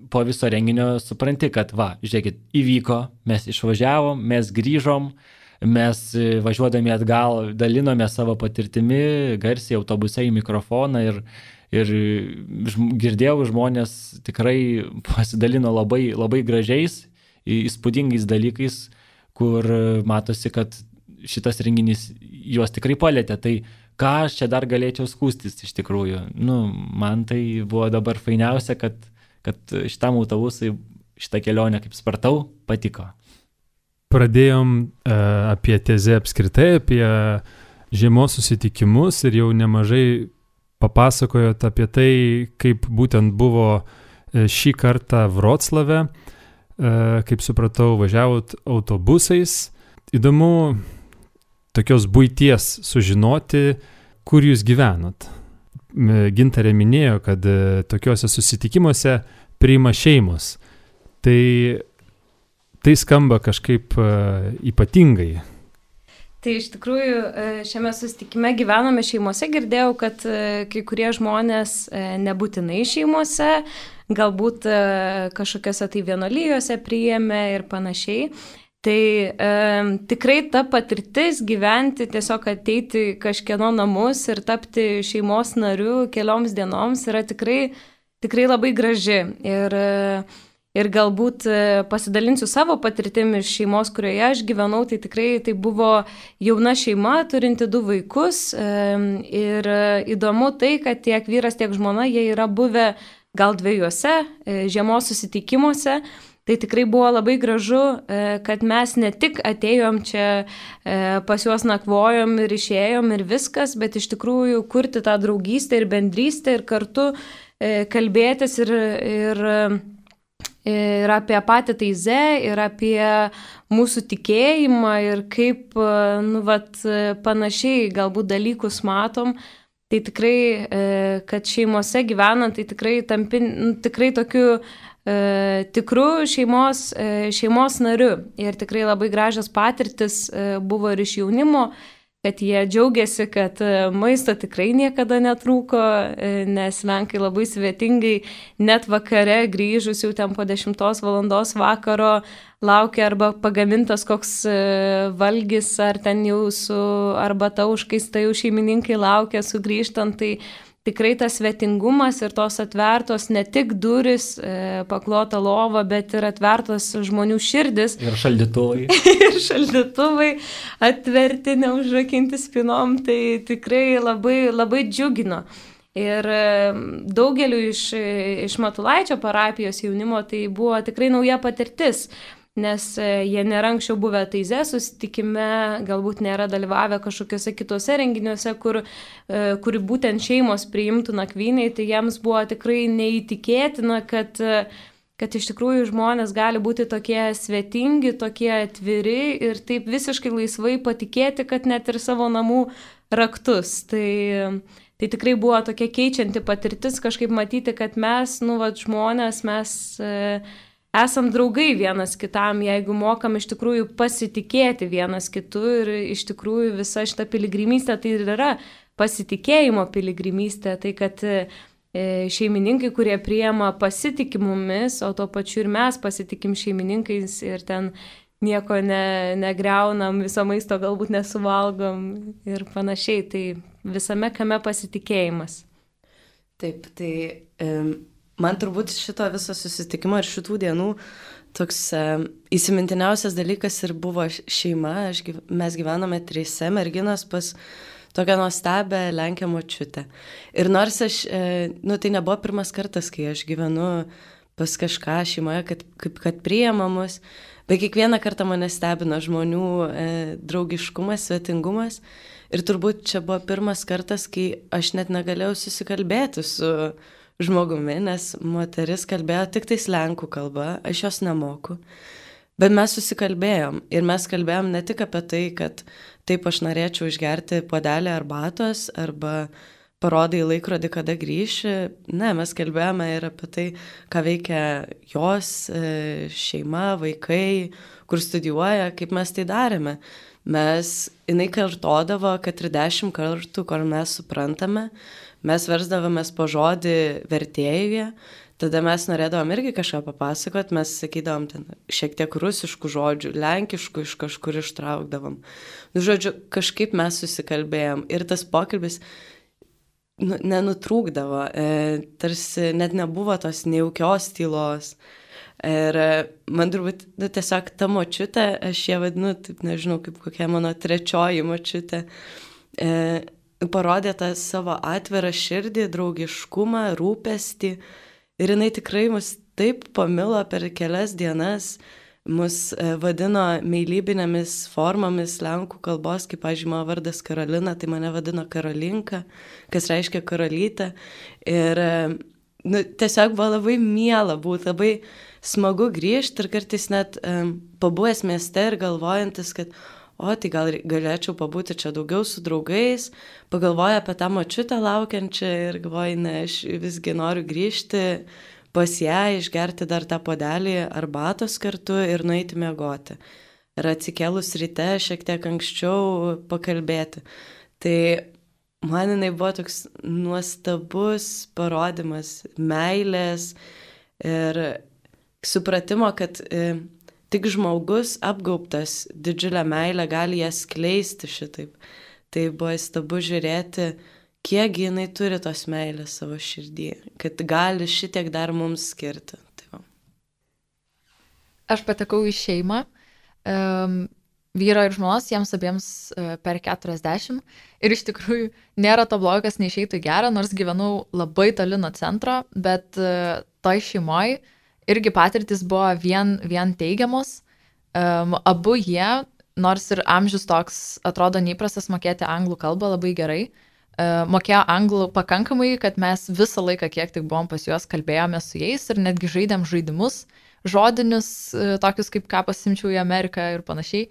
Speaker 3: po viso renginio supranti, kad va, žiūrėkit, įvyko, mes išvažiavom, mes grįžom, mes važiuodami atgal dalinome savo patirtimi, garsiai autobuse į mikrofoną ir, ir girdėjau, žmonės tikrai pasidalino labai, labai gražiais, įspūdingais dalykais, kur matosi, kad šitas renginys juos tikrai palėtė. Tai ką aš čia dar galėčiau skūstis iš tikrųjų? Nu, man tai buvo dabar fainiausia, kad kad šitam autobusui šitą kelionę, kaip spartau, patiko.
Speaker 1: Pradėjom e, apie Tezę apskritai, apie žiemos susitikimus ir jau nemažai papasakojot apie tai, kaip būtent buvo šį kartą Vroclave, e, kaip supratau, važiavot autobusais. Įdomu tokios buities sužinoti, kur jūs gyvenot. Gintarė minėjo, kad tokiuose susitikimuose priima šeimos. Tai, tai skamba kažkaip ypatingai.
Speaker 2: Tai iš tikrųjų šiame susitikime gyvename šeimose, girdėjau, kad kai kurie žmonės nebūtinai šeimose, galbūt kažkokiose tai vienuolijose priėmė ir panašiai. Tai e, tikrai ta patirtis gyventi, tiesiog ateiti kažkieno namus ir tapti šeimos nariu kelioms dienoms yra tikrai, tikrai labai graži. Ir Ir galbūt pasidalinsiu savo patirtimi iš šeimos, kurioje aš gyvenau, tai tikrai tai buvo jauna šeima, turinti du vaikus. Ir įdomu tai, kad tiek vyras, tiek žmona, jie yra buvę gal dviejuose žiemos susitikimuose. Tai tikrai buvo labai gražu, kad mes ne tik atėjom čia, pas juos nakvojom ir išėjom ir viskas, bet iš tikrųjų kurti tą draugystę ir bendrystę ir kartu kalbėtis ir... ir ir apie patį Taizė, ir apie mūsų tikėjimą, ir kaip, nu, vat, panašiai galbūt dalykus matom. Tai tikrai, kad šeimose gyvenant, tai tikrai tampi, nu, tikrai tokiu e, tikru šeimos, e, šeimos nariu. Ir tikrai labai gražios patirtis e, buvo ir iš jaunimo, kad jie džiaugiasi, kad maisto tikrai niekada netrūko, nes lenkai labai svetingai net vakare grįžus jau ten po dešimtos valandos vakaro laukia arba pagamintas koks valgis, ar ten jau su arbata užkaista jau šeimininkai laukia sugrįžtant. Tai tikrai tas svetingumas ir tos atvertos ne tik duris, paklota lova, bet ir atvertos žmonių širdis.
Speaker 3: Ir šaldytuvai.
Speaker 2: ir šaldytuvai atverti, neužrakinti spinom, tai tikrai labai, labai džiugino. Ir daugeliu iš, iš Matulaičio parapijos jaunimo tai buvo tikrai nauja patirtis. Nes jie nėra anksčiau buvę Taizė susitikime, galbūt nėra dalyvavę kažkokiuose kitose renginiuose, kur, kur būtent šeimos priimtų nakvyniai, tai jiems buvo tikrai neįtikėtina, kad, kad iš tikrųjų žmonės gali būti tokie svetingi, tokie atviri ir taip visiškai laisvai patikėti, kad net ir savo namų raktus. Tai, tai tikrai buvo tokia keičianti patirtis kažkaip matyti, kad mes, nu, vat, žmonės, mes... esam draugai vienas kitam, jeigu mokam iš tikrųjų pasitikėti vienas kitu ir iš tikrųjų visa šita piligrimystė tai ir yra pasitikėjimo piligrimystė, tai kad šeimininkai, kurie priima pasitikė mumis, o tuo pačiu ir mes pasitikim šeimininkais ir ten nieko ne, negriaunam, viso maisto galbūt nesuvalgom ir panašiai, tai visame kame pasitikėjimas.
Speaker 5: Taip, tai... Um... Man turbūt šito viso susitikimo ir šitų dienų toks e, įsimintiniausias dalykas ir buvo šeima. Aš, mes gyvenome trise merginos pas tokią nuostabę Lenkę močiutę. Ir nors aš, e, nu tai nebuvo pirmas kartas, kai aš gyvenu pas kažką šeimoje, kad, kaip kad priima mus, bet kiekvieną kartą mane stebino žmonių e, draugiškumas, svetingumas. Ir turbūt čia buvo pirmas kartas, kai aš net negalėjau susikalbėti su žmogumi, nes moteris kalbėjo tik tais lenkų kalba, aš jos nemoku. Bet mes susikalbėjom ir mes kalbėjom ne tik apie tai, kad taip aš norėčiau išgerti puodelį arbatos arba parodai laikrodį, kada grįši. Ne, mes kalbėjome ir apie tai, ką veikia jos šeima, vaikai, kur studijuoja, kaip mes tai darėme. Mes, jinai kartodavo, kad ir dešimt kartų, kur mes suprantame, mes versdavomės po žodį vertėjuje, tada mes norėdavom irgi kažką papasakot, mes sakydavom ten šiek tiek rusiškų žodžių, lenkiškų iš kažkur ištraukdavom. Nu, žodžiu, kažkaip mes susikalbėjom ir tas pokalbis nu, nenutrūkdavo, e, tarsi net nebuvo tos nejaukios tylos. Ir man turbūt, nu, tiesiog ta močiutė, aš ją vadinu, taip nežinau, kaip kokia mano trečioji močiutė, e, parodė tą savo atvirą širdį, draugiškumą, rūpestį ir jinai tikrai mus taip pamilo per kelias dienas, mus vadino meilybinėmis formomis lenkų kalbos, kaip, pavyzdžiui, mano vardas Karolina, tai mane vadino Karolinka, kas reiškia karalytė. Ir nu, tiesiog buvo labai miela būti, labai smagu grįžti ir kartais net um, pabuvęs mieste ir galvojantis, kad o, tai gal galėčiau pabūti čia daugiau su draugais, pagalvoju apie tą močiutę laukiančią ir galvoju, ne, aš visgi noriu grįžti pas ją, išgerti dar tą puodelį arbatos kartu ir nueiti miegoti. ir atsikėlus ryte šiek tiek anksčiau pakalbėti. Tai man jinai buvo toks nuostabus parodimas meilės ir supratimo, kad e, tik žmogus apgaubtas didžiulę meilę gali ją skleisti šitaip. Tai buvo įstabu žiūrėti, kiek jinai turi tos meilės savo širdį, kad gali šitiek dar mums skirti. Tai
Speaker 4: Aš patekau į šeimą, um, vyro ir žmonos, jiems abiems uh, per keturiasdešimt. Ir iš tikrųjų nėra to blogo, kas neišeitų gerą, nors gyvenau labai toli nuo centro, bet uh, toj šeimoj irgi patirtis buvo vien, vien teigiamos. Um, abu jie, nors ir amžius toks atrodo neįprastas mokėti anglų kalbą labai gerai, uh, mokėjo anglų pakankamai, kad mes visą laiką, kiek tik buvom pas juos, kalbėjome su jais ir netgi žaidėm žaidimus, žodinius, uh, tokius kaip ką pasimčiau į Ameriką ir panašiai.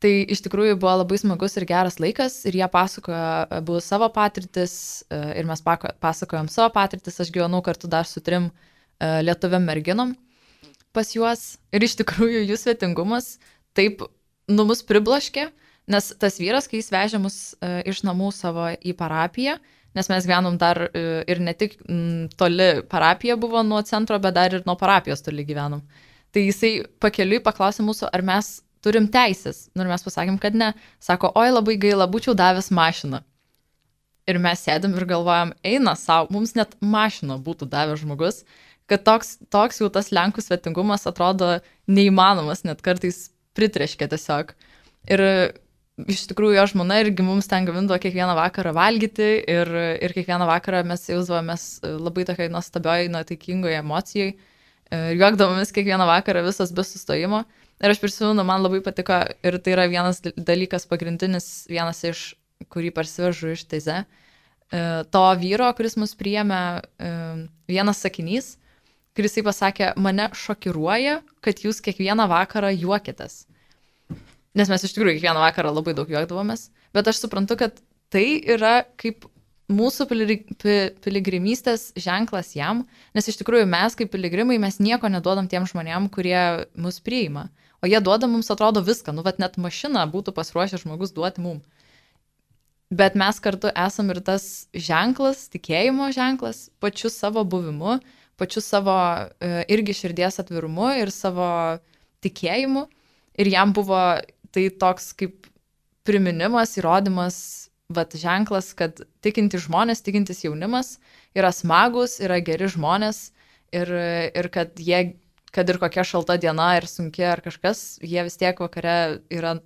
Speaker 4: Tai iš tikrųjų buvo labai smagus ir geras laikas ir jie pasakojo abu savo patirtis uh, ir mes pasakojom savo patirtis. Aš gyvenau kartu dar su trim uh, lietuviam merginom pas juos ir iš tikrųjų jų svetingumas taip nu mus priblaškė, nes tas vyras, kai jis vežė mus uh, iš namų savo į parapiją, nes mes gyvenom dar uh, ir ne tik m, toli parapija buvo nuo centro, bet dar ir nuo parapijos toli gyvenom. Tai jisai pakeliui paklausė mūsų, ar mes turim teisės. Nu ir mes pasakėm, kad ne. Sako, oi labai gaila, būčiau davęs mašiną. Ir mes sėdėm ir galvojam, eina savo, mums net mašiną būtų davęs žmogus, kad toks, toks jau tas Lenkų svetingumas atrodo neįmanomas, net kartais pritreškė tiesiog. Ir iš tikrųjų jo žmona irgi mums ten gamindavo kiekvieną vakarą valgyti ir, ir kiekvieną vakarą mes jausdavomės labai tokiai nuostabioj, nuotaikingoje emocijoje ir juokdavomės kiekvieną vakarą visas be sustojimo. Ir aš prisimenu, man labai patiko ir tai yra vienas dalykas pagrindinis, vienas iš, kurį parsivežu iš Teize, to vyro, kuris mus priėmė, vienas sakinys, kuris jisai pasakė, mane šokiruoja, kad jūs kiekvieną vakarą juokitės. Nes mes iš tikrųjų kiekvieną vakarą labai daug juokdavomės, bet aš suprantu, kad tai yra kaip mūsų piligrimystės ženklas jam, nes iš tikrųjų mes kaip piligrimai mes nieko neduodam tiem žmonėm, kurie mus priima, o jie duoda mums atrodo viską, nu vat net mašiną būtų pasiruošę žmogus duoti mum. Bet mes kartu esam ir tas ženklas, tikėjimo ženklas, pačiu savo buvimu, pačiu savo irgi širdies atvirumu ir savo tikėjimu. Ir jam buvo tai toks kaip priminimas, įrodymas, vat ženklas, kad tikintis žmonės, tikintis jaunimas yra smagus, yra geri žmonės ir, ir kad jie, kad ir kokia šalta diena ir sunki ar kažkas, jie vis tiek vakare yra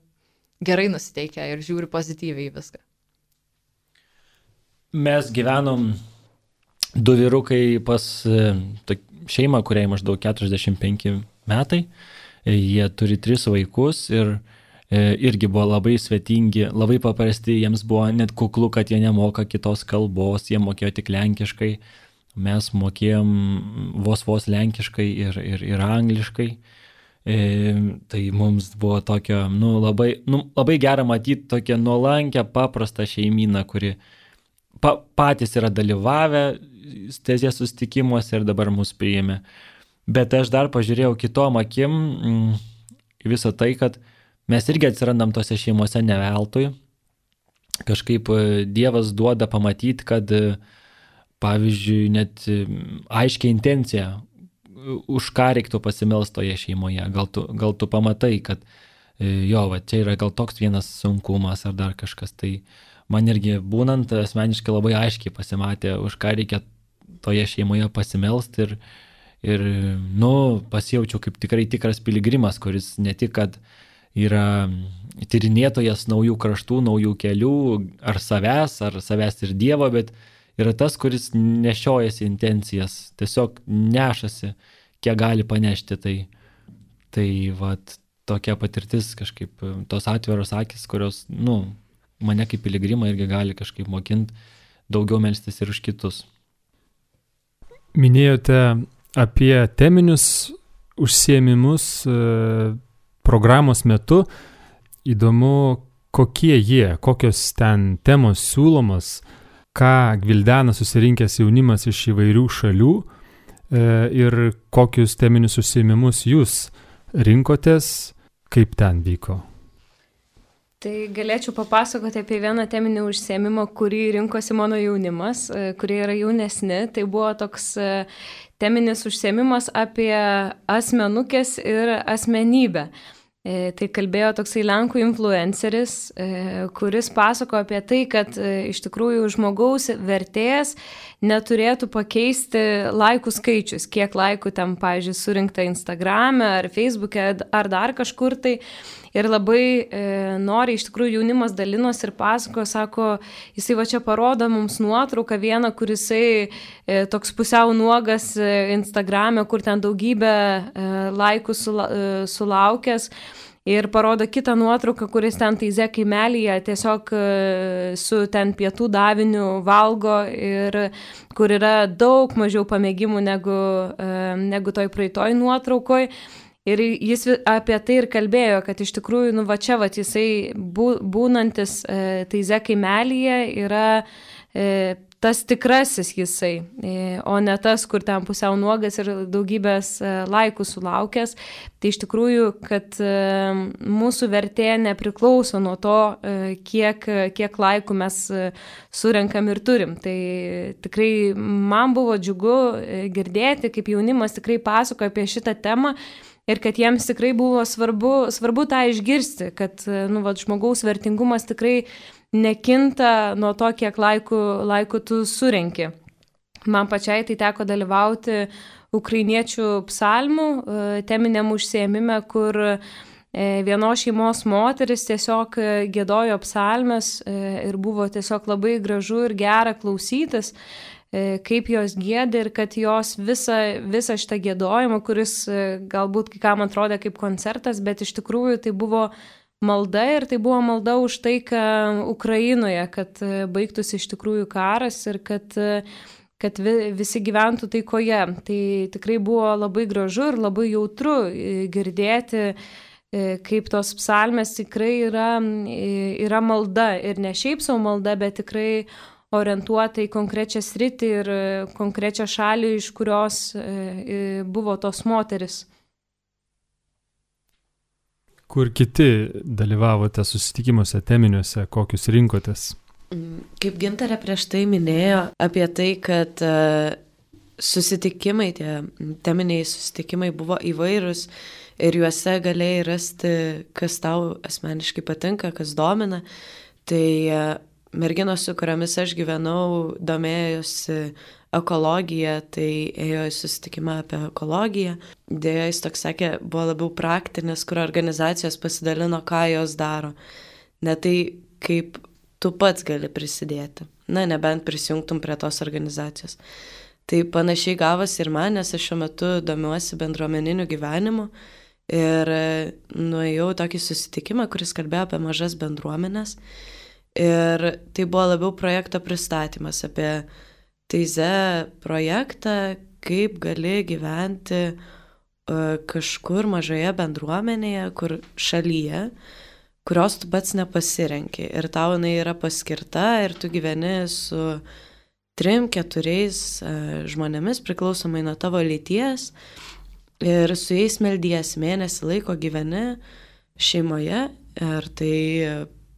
Speaker 4: gerai nusiteikę ir žiūri pozityviai viską.
Speaker 3: Mes gyvenom du vyrukai pas šeimą, kuriai maždaug keturiasdešimt penki metai. Jie turi tris vaikus ir irgi buvo labai svetingi, labai paprasti, jiems buvo net kuklu, kad jie nemoka kitos kalbos, jie mokėjo tik lenkiškai, mes mokėjom vos vos lenkiškai ir, ir, ir angliškai. E, tai mums buvo tokio, nu, labai, nu, labai gera matyti tokią nuolankę, paprastą šeimyną, kuri pa, patys yra dalyvavę Tezės susitikimuose ir dabar mus priėmė. Bet aš dar pažiūrėjau kitom akim mm, visą tai, kad mes irgi atsirandam tose šeimose ne veltui. Kažkaip Dievas duoda pamatyti, kad pavyzdžiui net aiškia intencija, už ką reiktų pasimelsti toje šeimoje. Gal tu, gal tu pamatai, kad jo, va, čia yra gal toks vienas sunkumas ar dar kažkas. Tai man irgi būnant asmeniškai labai aiškiai pasimatė, už ką reikia toje šeimoje pasimelsti ir, ir nu, pasijaučiau kaip tikrai tikras piligrimas, kuris ne tik, kad yra tyrinėtojas naujų kraštų, naujų kelių, ar savęs, ar savęs ir Dievo, bet yra tas, kuris nešiojasi intencijas, tiesiog nešasi, kiek gali panešti. Tai, tai vat, tokia patirtis kažkaip, tos atviros akis, kurios, nu, mane kaip piligrimą irgi gali kažkaip mokinti daugiau melstis ir už kitus.
Speaker 1: Minėjote apie teminius užsiėmimus e, programos metu. Įdomu, kokie jie, kokios ten temos siūlomos, ką gvildena susirinkęs jaunimas iš įvairių šalių e, ir kokius teminius užsiėmimus jūs rinkotės, kaip ten vyko?
Speaker 2: Tai galėčiau papasakoti apie vieną teminį užsiėmimą, kurį rinkosi mano jaunimas, kurie yra jaunesni. Tai buvo toks teminis užsiėmimas apie asmenukės ir asmenybę. Tai kalbėjo toksai Lenkų influenceris, kuris pasako apie tai, kad iš tikrųjų žmogaus vertės neturėtų pakeisti laikų skaičius, kiek laikų ten, pavyzdžiui, surinkta Instagrame ar Facebook'e ar dar kažkur tai. Ir labai e, nori, iš tikrųjų jaunimas dalinos ir pasako, sako, jisai va čia parodo mums nuotrauką vieną, kur jisai e, toks pusiau nuogas e, Instagrame, kur ten daugybę e, laikų sula, e, sulaukęs. Ir parodo kitą nuotrauką, kuris ten Taize kaimelyje tiesiog su ten pietų daviniu valgo ir kur yra daug mažiau pamėgimų negu, negu toj praeitoj nuotraukoj. Ir jis apie tai ir kalbėjo, kad iš tikrųjų, nu va čia va jisai būnantis Taize kaimelyje yra tas tikrasis jisai, o ne tas, kur ten pusiau nuogas ir daugybės laikų sulaukęs. Tai iš tikrųjų, kad mūsų vertė nepriklauso nuo to, kiek, kiek laikų mes surenkam ir turim. Tai tikrai man buvo džiugu girdėti, kaip jaunimas tikrai pasakoja apie šitą temą ir kad jiems tikrai buvo svarbu, svarbu tą išgirsti, kad nu, va, žmogaus vertingumas tikrai nekinta nuo to, kiek laikų, laikų tu surenki. Man pačiai tai teko dalyvauti ukrainiečių psalmų teminiam užsiėmime, kur vienos šeimos moteris tiesiog giedojo psalmes ir buvo tiesiog labai gražu ir gera klausytis, kaip jos giedė ir kad jos visą, visą šitą giedojimą, kuris galbūt kai kam atrodė kaip koncertas, bet iš tikrųjų tai buvo malda ir tai buvo malda už taiką Ukrainoje, kad baigtųsi iš tikrųjų karas ir kad, kad visi gyventų taikoje. Tai tikrai buvo labai gražu ir labai jautru girdėti, kaip tos psalmės tikrai yra, yra malda ir ne šiaip savo malda, bet tikrai orientuota į konkrečią sritį ir konkrečią šalį, iš kurios buvo tos moteris.
Speaker 1: Kur kiti dalyvavote susitikimuose teminiuose, kokius rinkotės?
Speaker 5: Kaip Gintarė prieš tai minėjo apie tai, kad susitikimai, tie teminiai susitikimai buvo įvairūs ir juose galėjai rasti, kas tau asmeniškai patinka, kas domina. Tai merginos, su kuriomis aš gyvenau, domėjosi ekologiją, tai ėjo į susitikimą apie ekologiją. Dėja, jis toks sakė, buvo labiau praktinis, kur organizacijos pasidalino, ką jos daro. Ne tai, kaip tu pats gali prisidėti. Na, nebent prisijungtum prie tos organizacijos. Tai panašiai gavosi ir man, nes aš šiuo metu domiuosi bendruomeniniu gyvenimu ir nuėjau tokį susitikimą, kuris kalbėjo apie mažas bendruomenės. Ir tai buvo labiau projekto pristatymas apie Taize projektą, kaip gali gyventi uh, kažkur mažoje bendruomenėje, kur šalyje, kurios tu pats nepasirenki. Ir tau jinai yra paskirta ir tu gyveni su trim, keturiais uh, žmonėmis, priklausomai nuo tavo lyties. Ir su jais meldiesi mėnesį laiko gyveni šeimoje ir tai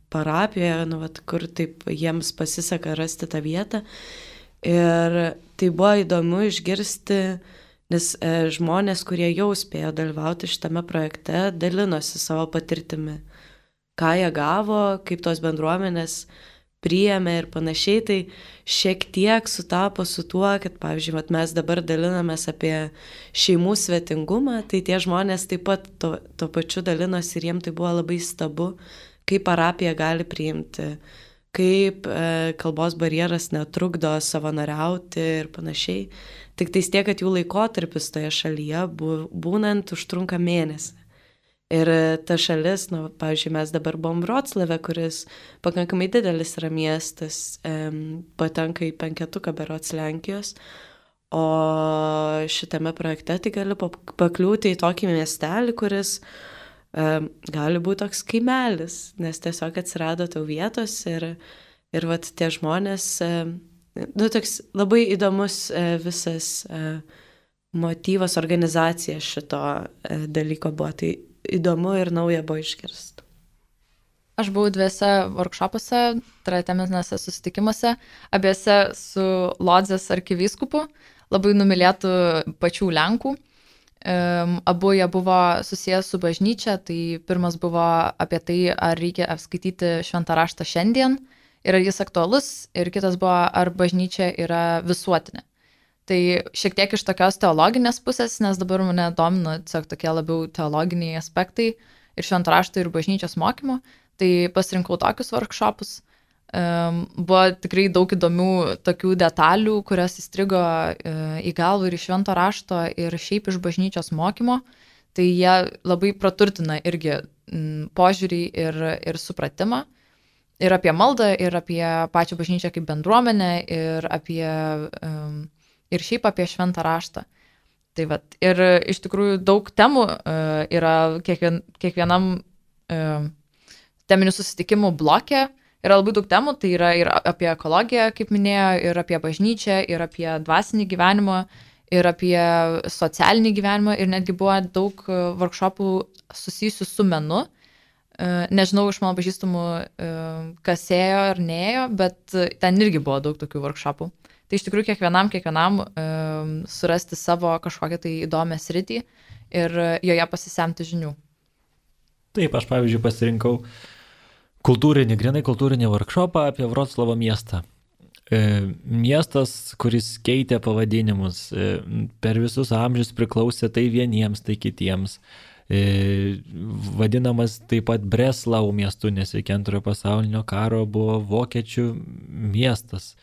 Speaker 5: parapijoje, nu, vat, kur taip jiems pasiseka rasti tą vietą. Ir tai buvo įdomu išgirsti, nes e, žmonės, kurie jau spėjo dalyvauti šitame projekte, dalinosi savo patirtimi, ką jie gavo, kaip tos bendruomenės priėmė ir panašiai. Tai šiek tiek sutapo su tuo, kad, pavyzdžiui, vat, mes dabar dalinamės apie šeimų svetingumą, tai tie žmonės taip pat to, to pačiu dalinosi ir jiems tai buvo labai stabu, kaip parapija gali priimti, kaip e, kalbos barjeras netrukdo savanoriauti ir panašiai. Tik tais tiek, kad jų laikotarpis toje šalyje būnant užtrunka mėnesį. Ir ta šalis, nu, pavyzdžiui, mes dabar buvom Vroclave, kuris pakankamai didelis yra miestas, e, patenka į penketuką berods Lenkijos, o šitame projekte tai gali pakliūti į tokį miestelį, kuris gali būti toks kaimelis, nes tiesiog atsirado tau vietos ir, ir vat, tie žmonės, nu, toks labai įdomus visas motyvas, organizacija šito dalyko buvo. Tai įdomu ir nauja buvo išgirsti.
Speaker 4: Aš buvau dviese workshopuose, tai yra teminėse susitikimuose, abiejose su Lodzės arkivyskupu, labai numylėtų pačių Lenkų. Um, abu jie buvo susijęs su bažnyčia, tai pirmas buvo apie tai, ar reikia apskaityti šventą raštą šiandien ir ar jis aktualus, ir kitas buvo, ar bažnyčia yra visuotinė. Tai šiek tiek iš tokios teologinės pusės, nes dabar mane domina tiesiog tokie labiau teologiniai aspektai ir švento rašto ir bažnyčios mokymo. Tai pasirinkau tokius workshopus. Um, buvo tikrai daug įdomių tokių detalių, kurios įstrigo uh, į galvą ir iš švento rašto ir šiaip iš bažnyčios mokymo. Tai jie labai praturtina irgi m, požiūrį ir, ir supratimą. Ir apie maldą, ir apie pačią bažnyčią kaip bendruomenę, ir, apie, um, ir šiaip apie šventą raštą. Tai vat, ir iš tikrųjų daug temų uh, yra kiekvien, kiekvienam uh, teminių susitikimų blokė, yra labai daug temų, tai yra ir apie ekologiją, kaip minėjo, ir apie bažnyčią, ir apie dvasinį gyvenimą, ir apie socialinį gyvenimą, ir netgi buvo daug workshopų susijusių su menu. Nežinau iš mano pažįstamų, kas ėjo ar neėjo, bet ten irgi buvo daug tokių workshopų. Tai iš tikrųjų kiekvienam, kiekvienam surasti savo kažkokią tai įdomią sritį ir joje pasisemti žinių.
Speaker 3: Taip, aš pavyzdžiui pasirinkau kultūrinį, grinai kultūrinį workshopą apie Vroclavo miestą. E, miestas, kuris keitė pavadinimus, e, per visus amžius priklausė tai vieniems, tai kitiems. E, vadinamas taip pat Breslau miestu, nes iki antrojo pasaulinio karo buvo vokiečių miestas.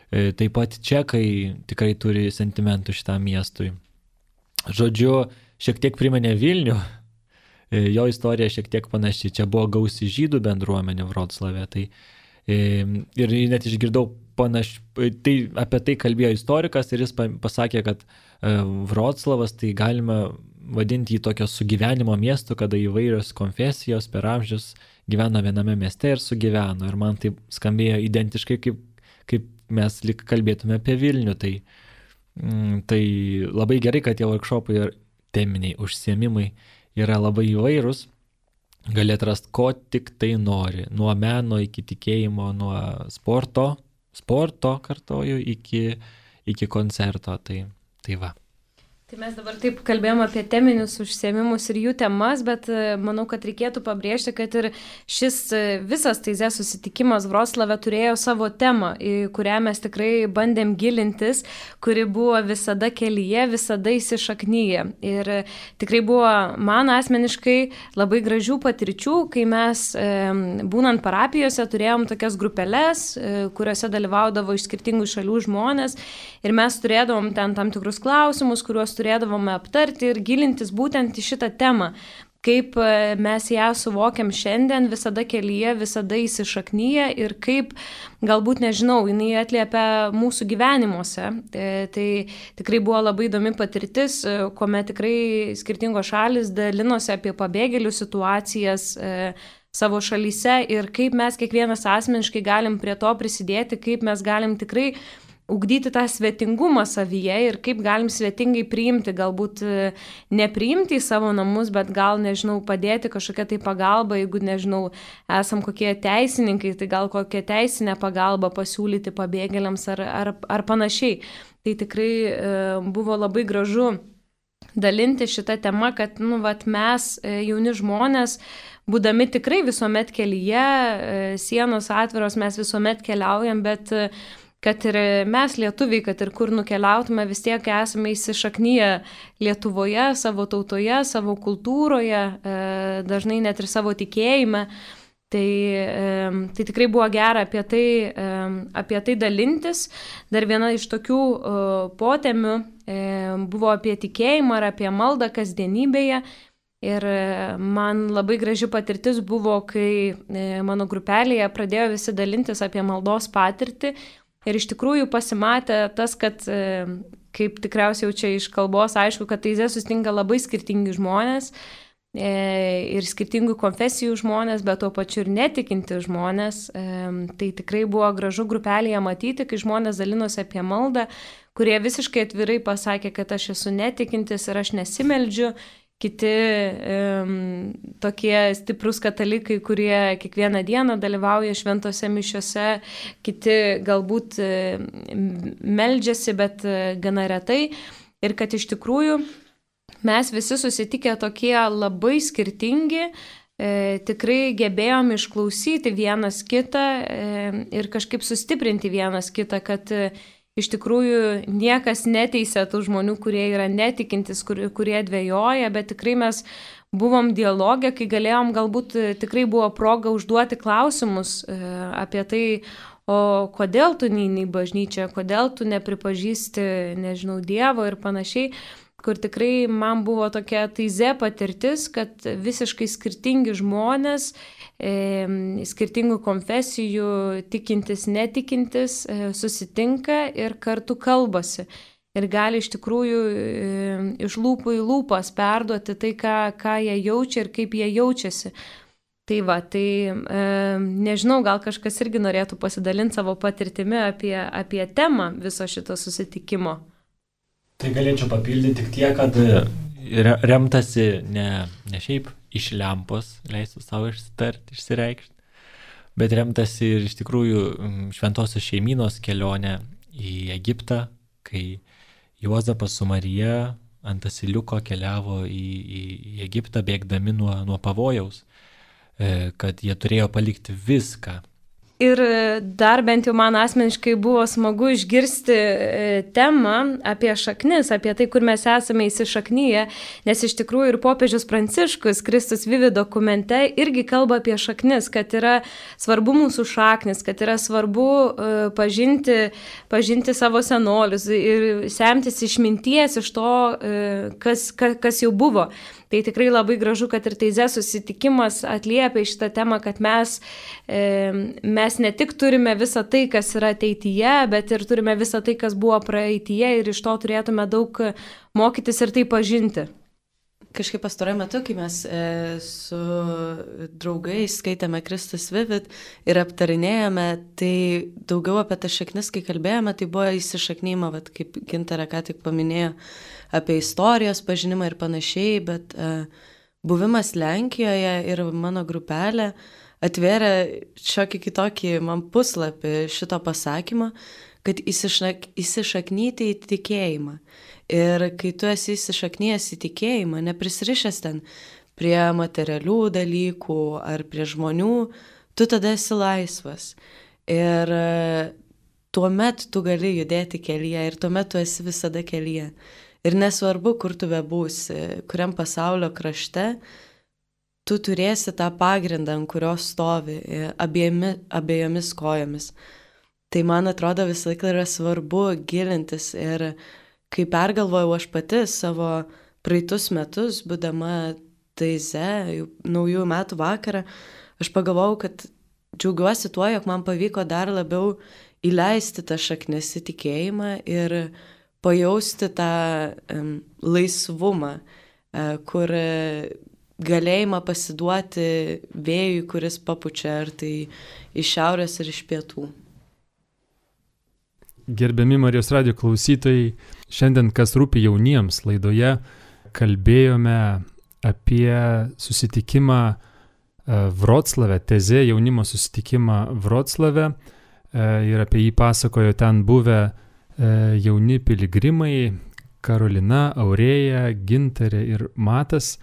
Speaker 3: E, taip pat čekai tikrai turi sentimentų šitam miestui. Žodžiu, šiek tiek priminė Vilnių. Jo istorija šiek tiek panaši. Čia buvo gausi žydų bendruomenė Vroclave. Tai, ir net išgirdau panaš, tai apie tai kalbėjo istorikas ir jis pasakė, kad Vroclavas tai galima vadinti jį tokio sugyvenimo miestu, kada įvairios konfesijos per amžius gyveno viename mieste ir sugyveno. Ir man tai skambėjo identiškai, kaip, kaip mes lyg kalbėtume apie Vilnių. Tai, tai labai gerai, kad tie workshopai ir teminiai užsiėmimai yra labai įvairūs, gali atrasti, ko tik tai nori, nuo meno iki tikėjimo, nuo sporto, sporto kartoju, iki, iki koncerto, tai, tai va.
Speaker 2: Tai mes dabar taip kalbėjom apie teminius užsiėmimus ir jų temas, bet manau, kad reikėtų pabrėžti, kad ir šis visas Taizė susitikimas Vroclave turėjo savo temą, į kurią mes tikrai bandėm gilintis, kuri buvo visada kelyje, visada įsišaknyje. Ir tikrai buvo man asmeniškai labai gražių patirčių, kai mes būnant parapijose turėjom tokias grupeles, kuriuose dalyvaudavo iš skirtingų šalių žmonės ir mes turėdavom ten tam tikrus klausimus, kuriuos turėdavome aptarti ir gilintis būtent į šitą temą, kaip mes ją suvokiam šiandien, visada kelyje, visada įsišaknyje ir kaip, galbūt nežinau, jinai atliepia mūsų gyvenimuose. Tai tikrai buvo labai įdomi patirtis, kuomet tikrai skirtingos šalis dalinosi apie pabėgėlių situacijas savo šalyse ir kaip mes kiekvienas asmeniškai galim prie to prisidėti, kaip mes galim tikrai ugdyti tą svetingumą savyje ir kaip galim svetingai priimti, galbūt nepriimti į savo namus, bet gal, nežinau, padėti kažkokią tai pagalbą, jeigu, nežinau, esam kokie teisininkai, tai gal kokią teisinę pagalbą pasiūlyti pabėgėliams ar, ar, ar panašiai. Tai tikrai e, buvo labai gražu dalinti šitą temą, kad, nu, vat mes, jauni žmonės, būdami tikrai visuomet kelyje, sienos atviros, mes visuomet keliaujam, bet kad ir mes lietuviai, kad ir kur nukeliautume, vis tiek esame įsišaknyję Lietuvoje, savo tautoje, savo kultūroje, dažnai net ir savo tikėjime. Tai, tai tikrai buvo gera apie tai, apie tai dalintis. Dar viena iš tokių potemių buvo apie tikėjimą ir apie maldą kasdienybėje. Ir man labai graži patirtis buvo, kai mano grupelėje pradėjo visi dalintis apie maldos patirtį. Ir iš tikrųjų pasimatė tas, kad, kaip tikriausiai jau čia iš kalbos, aišku, kad Taizė susitinka labai skirtingi žmonės ir skirtingų konfesijų žmonės, bet tuo pačiu ir netikinti žmonės. Tai tikrai buvo gražu grupelėje matyti, kai žmonės dalinosi apie maldą, kurie visiškai atvirai pasakė, kad aš esu netikintis ir aš nesimeldžiu. kiti um, tokie stiprus katalikai, kurie kiekvieną dieną dalyvauja šventose mišiose, kiti galbūt meldžiasi, bet gana retai. Ir kad iš tikrųjų mes visi susitikę tokie labai skirtingi, e, tikrai gebėjom išklausyti vienas kitą e, ir kažkaip sustiprinti vienas kitą, kad e, iš tikrųjų niekas neteisė tų žmonių, kurie yra netikintis, kur, kurie dvejoja, bet tikrai mes buvom dialogė, kai galėjom, galbūt tikrai buvo proga užduoti klausimus e, apie tai, o kodėl tu neini į bažnyčią, kodėl tu nepripažįsti, nežinau, Dievo ir panašiai, kur tikrai man buvo tokia taize patirtis, kad visiškai skirtingi žmonės, e, skirtingų konfesijų, tikintis, netikintis, e, susitinka ir kartu kalbasi. Ir gali iš tikrųjų e, iš lūpų į lūpas perduoti tai, ką, ką jie jaučia ir kaip jie jaučiasi. Tai va, tai e, nežinau, gal kažkas irgi norėtų pasidalinti savo patirtimi apie, apie temą viso šito susitikimo.
Speaker 3: Tai galėčiau papildyti tik tiek, kad remtasi ne, ne šiaip iš lempos, leisiu savo išsitarti, išsireikšti, bet remtasi ir iš tikrųjų šventosios šeimynos kelionę į Egiptą, kai Juozapas su Marija ant asiliuko keliavo į, į, į Egiptą, bėgdami nuo, nuo pavojaus, kad jie turėjo palikti viską.
Speaker 2: Ir dar bent jau man asmeniškai buvo smagu išgirsti temą apie šaknis, apie tai, kur mes esame įsišaknyje, nes iš tikrųjų ir popiežius Pranciškus Kristus Vivi dokumente irgi kalba apie šaknis, kad yra svarbu mūsų šaknis, kad yra svarbu pažinti, pažinti savo senolius ir semtis išminties iš to, kas, kas jau buvo. Tai tikrai labai gražu, kad ir Teize susitikimas atliepia šitą temą, kad mes, e, mes ne tik turime visą tai, kas yra ateityje, bet ir turime visą tai, kas buvo praeityje ir iš to turėtume daug mokytis ir tai pažinti.
Speaker 5: Kažkaip pastaruoju metu, kai mes e, su draugais skaitėme Kristus Vivit ir aptarinėjome, tai daugiau apie tas šaknis, kai kalbėjome, tai buvo įsišaknyma, vat, kaip Gintarė ką tik paminėjo, apie istorijos pažinimą ir panašiai, bet e, buvimas Lenkijoje ir mano grupelė atvėrė šiokį kitokį man puslapį šito pasakymo, kad įsišak, įsišaknyti į tikėjimą. Ir kai tu esi įsišaknyjęs į tikėjimą, neprisirišęs ten prie materialių dalykų ar prie žmonių, tu tada esi laisvas. Ir tuomet tu gali judėti kelyje ir tuomet tu esi visada kelyje. Ir nesvarbu, kur tu bebūsi, kuriam pasaulio krašte, tu turėsi tą pagrindą, ant kurio stovi abiejami, abiejomis kojomis. Tai man atrodo visą laiką yra svarbu gilintis ir kai pergalvojau aš pati savo praeitus metus, būdama Teize, naujųjų metų vakarą, aš pagalvojau, kad džiaugiuosi tuo, jog man pavyko dar labiau įleisti tą šaknis į tikėjimą ir pajausti tą um, laisvumą, uh, kur galėjimą pasiduoti vėjui, kuris papučia ar tai iš šiaurės ir iš pietų.
Speaker 1: Gerbiami Marijos radijo klausytojai, šiandien kas rūpi jauniems laidoje kalbėjome apie susitikimą Vroclave, Teze jaunimo susitikimą Vroclave ir apie jį pasakojo ten buvę jauni piligrimai Karolina, Aurėja, Gintarė ir Matas.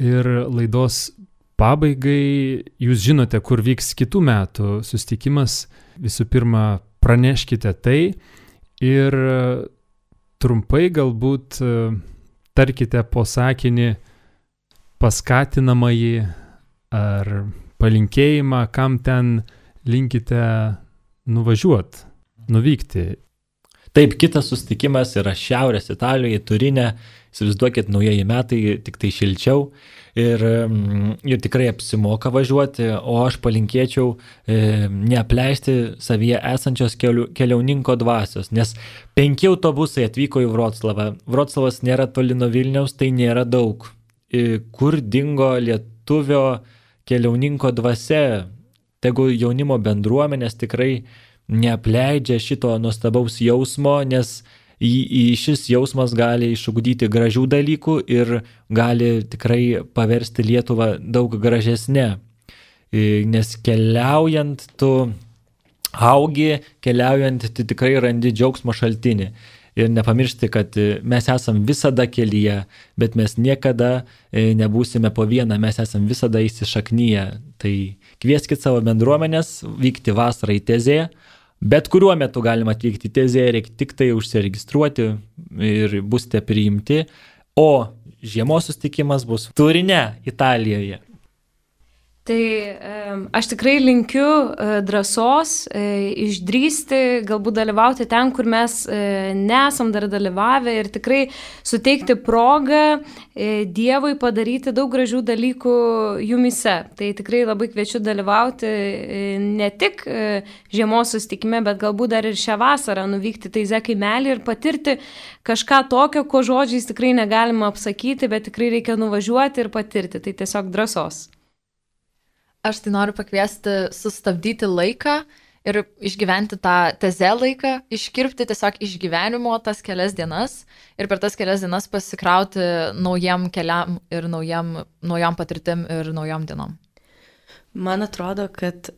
Speaker 1: Ir laidos pabaigai jūs žinote, kur vyks kitų metų susitikimas. Visų pirma, praneškite tai ir trumpai galbūt tarkite po sakinį paskatinamąjį ar palinkėjimą, kam ten linkite nuvažiuoti, nuvykti.
Speaker 3: Taip, kitas susitikimas yra Šiaurės Italijoje, Turine. Įsivaizduokit, naujieji metai, tik tai šilčiau ir, ir tikrai apsimoka važiuoti, o aš palinkėčiau e, neapleisti savyje esančios keliu, keliauninko dvasios, nes penki autobusai atvyko į Vroclavą. Vroclavas nėra toli nuo Vilniaus, tai nėra daug. E, kur dingo lietuvio keliauninko dvasia? Tegu jaunimo bendruomenės tikrai neapleidžia šito nuostabaus jausmo, nes šis jausmas gali išugdyti gražių dalykų ir gali tikrai paversti Lietuvą daug gražesnę. Nes keliaujant tu augi, keliaujant tu tikrai randi džiaugsmo šaltinį. Ir nepamiršti, kad mes esam visada kelyje, bet mes niekada nebūsime po vieną, mes esam visada įsišaknyje. Tai kvieskit savo bendruomenės vykti vasarą į Tezėją. Bet kuriuo metu galima atvykti į Tezėją, reikia tik tai užsiregistruoti ir busite priimti. O žiemos susitikimas bus Turine, Italijoje.
Speaker 2: Tai aš tikrai linkiu drąsos, išdrįsti, galbūt dalyvauti ten, kur mes nesam dar dalyvavę ir tikrai suteikti progą Dievui padaryti daug gražių dalykų jumise. Tai tikrai labai kviečiu dalyvauti ne tik žiemos susitikime, bet galbūt dar ir šią vasarą nuvykti Taizė kaimelį ir patirti kažką tokio, ko žodžiais tikrai negalima apsakyti, bet tikrai reikia nuvažiuoti ir patirti. Tai tiesiog drąsos.
Speaker 4: Aš tai noriu pakviesti sustabdyti laiką ir išgyventi tą Tezė laiką, iškirpti tiesiog iš gyvenimo tas kelias dienas ir per tas kelias dienas pasikrauti naujam keliam ir naujam, naujam patirtim ir naujam dienom.
Speaker 5: Man atrodo, kad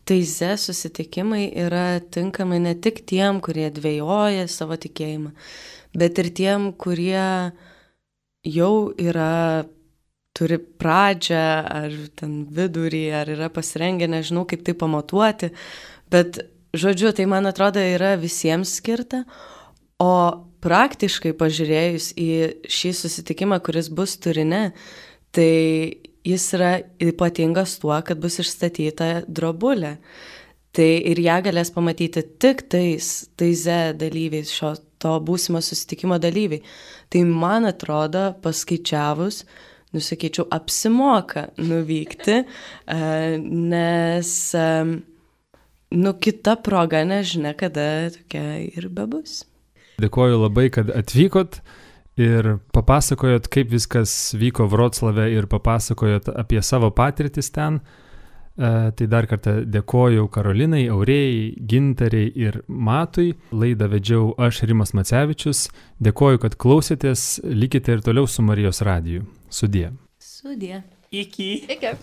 Speaker 5: Taizė susitikimai yra tinkami ne tik tiem, kurie dvejoja savo tikėjimą, bet ir tiem, kurie jau yra turi pradžią, ar ten vidurį, ar yra pasirengę, nežinau kaip tai pamatuoti, bet, žodžiu, tai man atrodo yra visiems skirta, o praktiškai pažiūrėjus į šį susitikimą, kuris bus Turine, tai jis yra ypatingas tuo, kad bus išstatyta drobulė. Tai ir ją galės pamatyti tik tais Taizė dalyviais, šio to būsimo susitikimo dalyviai. Tai man atrodo, paskaičiavus, nusakyčiau, apsimoka nuvykti, nes, nu, kita proga nežinia, kada tokia ir bebus.
Speaker 1: Dėkoju labai, kad atvykot ir papasakojot, kaip viskas vyko Vroclave ir papasakojot apie savo patirtis ten. Tai dar kartą dėkoju Karolinai, Aurėjai, Gintarei ir Matui. Laidą vedžiau aš, Rimas Macevičius. Dėkoju, kad klausėtės. Likite ir toliau su Marijos radiju. Sudie.
Speaker 5: Sudie.
Speaker 3: Iki.
Speaker 4: Iki.